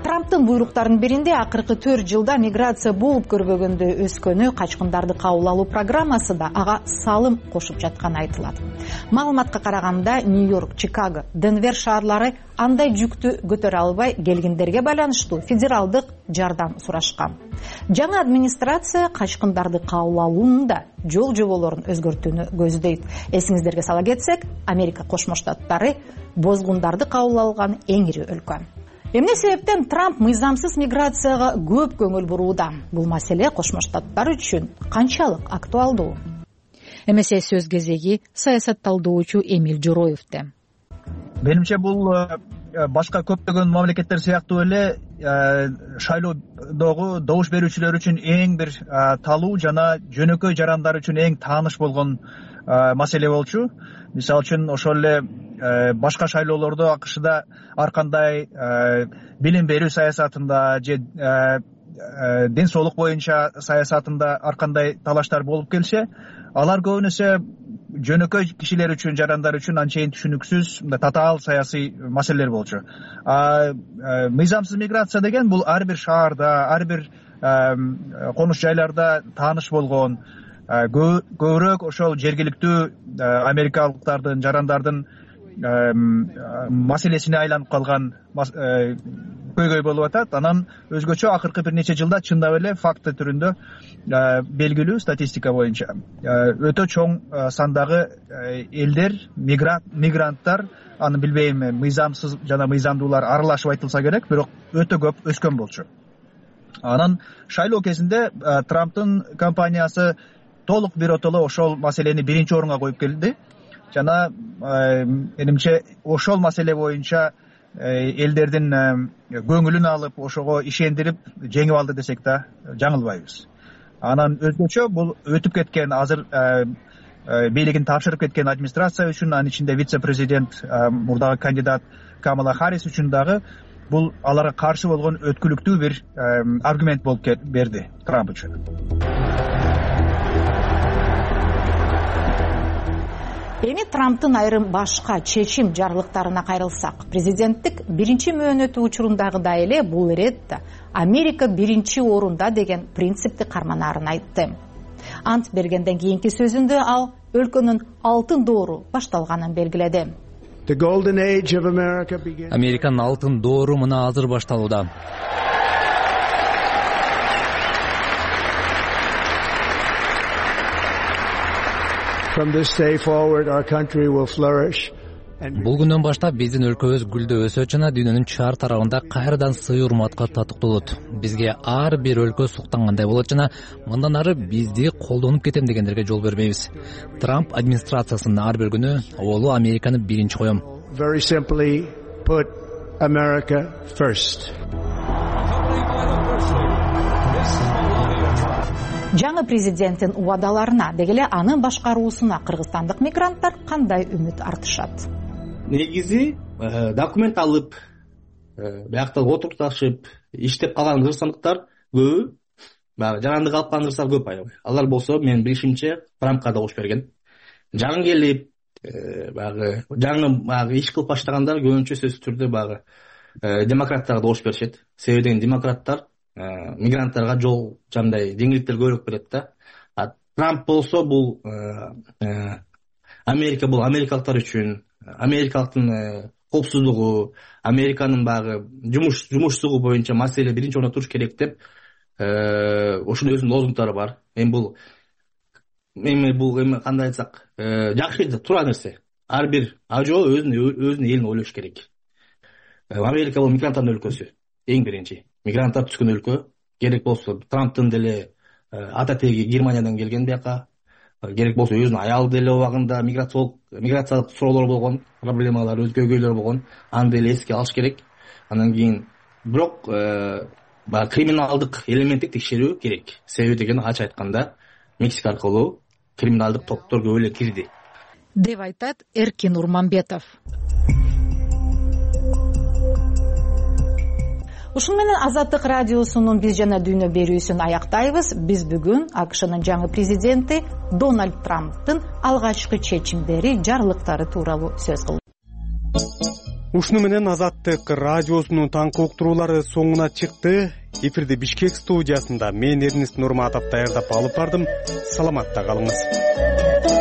Трамп трамптын буйруктарынын биринде акыркы төрт жылда миграция болуп көрбөгөндө өскөнү, качкындарды кабыл алуу программасы да ага салым кошуп жатканы айтылат. Маалыматка караганда Нью-Йорк, Чикаго, Денвер шаарлары андай жүктү көтөрө албай келгендерге байланыштуу федералдык жардам сурашкан. Жаңы администрация качкындарды кабыл алуунун да жол жоболорун өзгөртүүнү көздөйт. Эсиңиздерге сала кетсек, Америка Кошмо Штаттары бозгундарды кабыл алган эң ири өлкө. Эмне себептен Трамп мыйзамсыз миграцияга көп көңүл бурууда? Бул маселе Кошмо Штаттар үчүн канчалык актуалдуу? Эмесе сөз кезеги саясатталдоочу Эмиль Жороевде. Менимче бул башка көптөгөн мамлекеттер сыяктуу эле шайлоодогу добуш берүүчүлөр үчүн эң бир талуу жана жөнөкөй жарандар үчүн эң тааныш болгон маселе болчу. Мисалы үчүн ошол эле башка шайлоолордо АКШда ар кандай билим берүү саясатында же ден соолук боюнча саясатында ар кандай талаштар болуп келсе, алар көбүнесе жөнөкөй кишилер үчүн, жарандар үчүн анчейин түшүнүксүз, татаал саясий маселелер болчу. Мыйзамсыз миграция деген бул ар бир шаарда, ар бир конуш жайларда тааныш болгон, көбүрөөк ошол жергиликтүү америкалыктардын, жарандардын маселесине айланып калган көйгөй болуп атат. Анан өзгөчө акыркы бир нече жылда чындап эле факты түрүндө белгилүү статистика боюнча өтө чоң сандагы элдер, мигранттар, аны билбейм, мыйзамсыз жана мыйзамдуулар аралашып айтылса керек, бирок өтө көп өскөн болчу. Анан шайлоо кезинде Трамптын компаниясы толук биротоло ошол маселени биринчи орунга коюп келди. Жана менимче ошол маселе боюнча элдердин көңүлүн алып, ошого ишендирип жеңип алды десек да жаңылбайбыз. Анан өзгөчө бул өтүп кеткен, азыр бийлигин тапшырып кеткен администрация үчүн, анын ичинде вице-президент, мурдагы кандидат Камала Харрис үчүн дагы бул аларга каршы болгон өткүлүктүү бир аргумент болуп берди Трамп үчүн. Эми Трамптын айрым башка чечим жарлыктарына кайрылсак, президенттик биринчи мөөнөтү учурундагыдай эле бул иретте Америка биринчи орунда деген принципти карманаарын айтты. Ант бергенден кийинки сөзүндө ал өлкөнүн алтын доору башталганын белгиледи. Американын алтын доору мына азыр башталууда. From this day forward, our country will flourish. Бул күндөн баштап биздин өлкөбүз гүлдөп өсөт жана дүйнөнүн чар тарабында кайрадан сый урматка татыктуулут. Бизге ар бир өлкө суктангандай болот жана мындан ары бизди колдонуп кетем дегендерге жол бербейбиз. Трамп администрациясынын ар бир күнү олу Американы биринчи коем. Very simply put America first. Жаңы президенттин убадаларына, дегеле анын башкаруусуна кыргызстандык мигранттар кандай үмүт артышат? Негизи документ алып, биякта отурташып, иштеп калган кыргызстандыктар көбү, баягы жарандык алып калган кыргыздар көп аябай. Алар болсо менин билишимче Трампка добуш берген. Жаңы келип, баягы жаңы баягы иш кылып баштагандар көбүнчө сөзсүз түрдө баягы демократтарга добуш беришет. Себеби деген демократтар мигранттарга жол жандай жеңилдиктер көбүрөөк берет да. Трамп болсо бул Америка бул америкалыктар үчүн, америкалыктын коопсуздугу, Американын баягы жумуш жумушсугу боюнча маселе биринчи орунда туруш керек деп ошонун өзүнүн лозунгдары бар. Эми бул эми бул эми кандай айтсак, жакшы туура нерсе. Ар бир ажо өзүнүн өзүнүн элин ойлош керек. Америка бул мигранттардын өлкөсү. Эң биринчи мигранттар түшкөн өлкө. Керек болсо Трамптын деле ата теги Германиядан келген бияка, керек болсо өзүнүн аялы деле убагында миграциялык миграциялык суроолор болгон, проблемалар, көйгөйлөр болгон, аны деле эске алыш керек. Андан кийин бирок баягы криминалдык элементтик текшерүү керек. Себеби деген ачык айтканда Мексика аркылуу криминалдык топтор көп эле кирди деп айтат Эркин Урманбетов. Ушун менен Азаттык радиосунун биз жана дүйнө берүүсүн аяктайбыз. Биз бүгүн АКШнын жаңы президенти Дональд Трамптын алгачкы чечимдери, жарлыктары тууралуу сөз кылдык. ушуну менен Азаттык радиосунун таңкы уктуруулары соңуна чыкты. Эфирди Бишкек студиясында мен Эрнест Нурматов даярдап алып бардым. Саламатта калыңыз.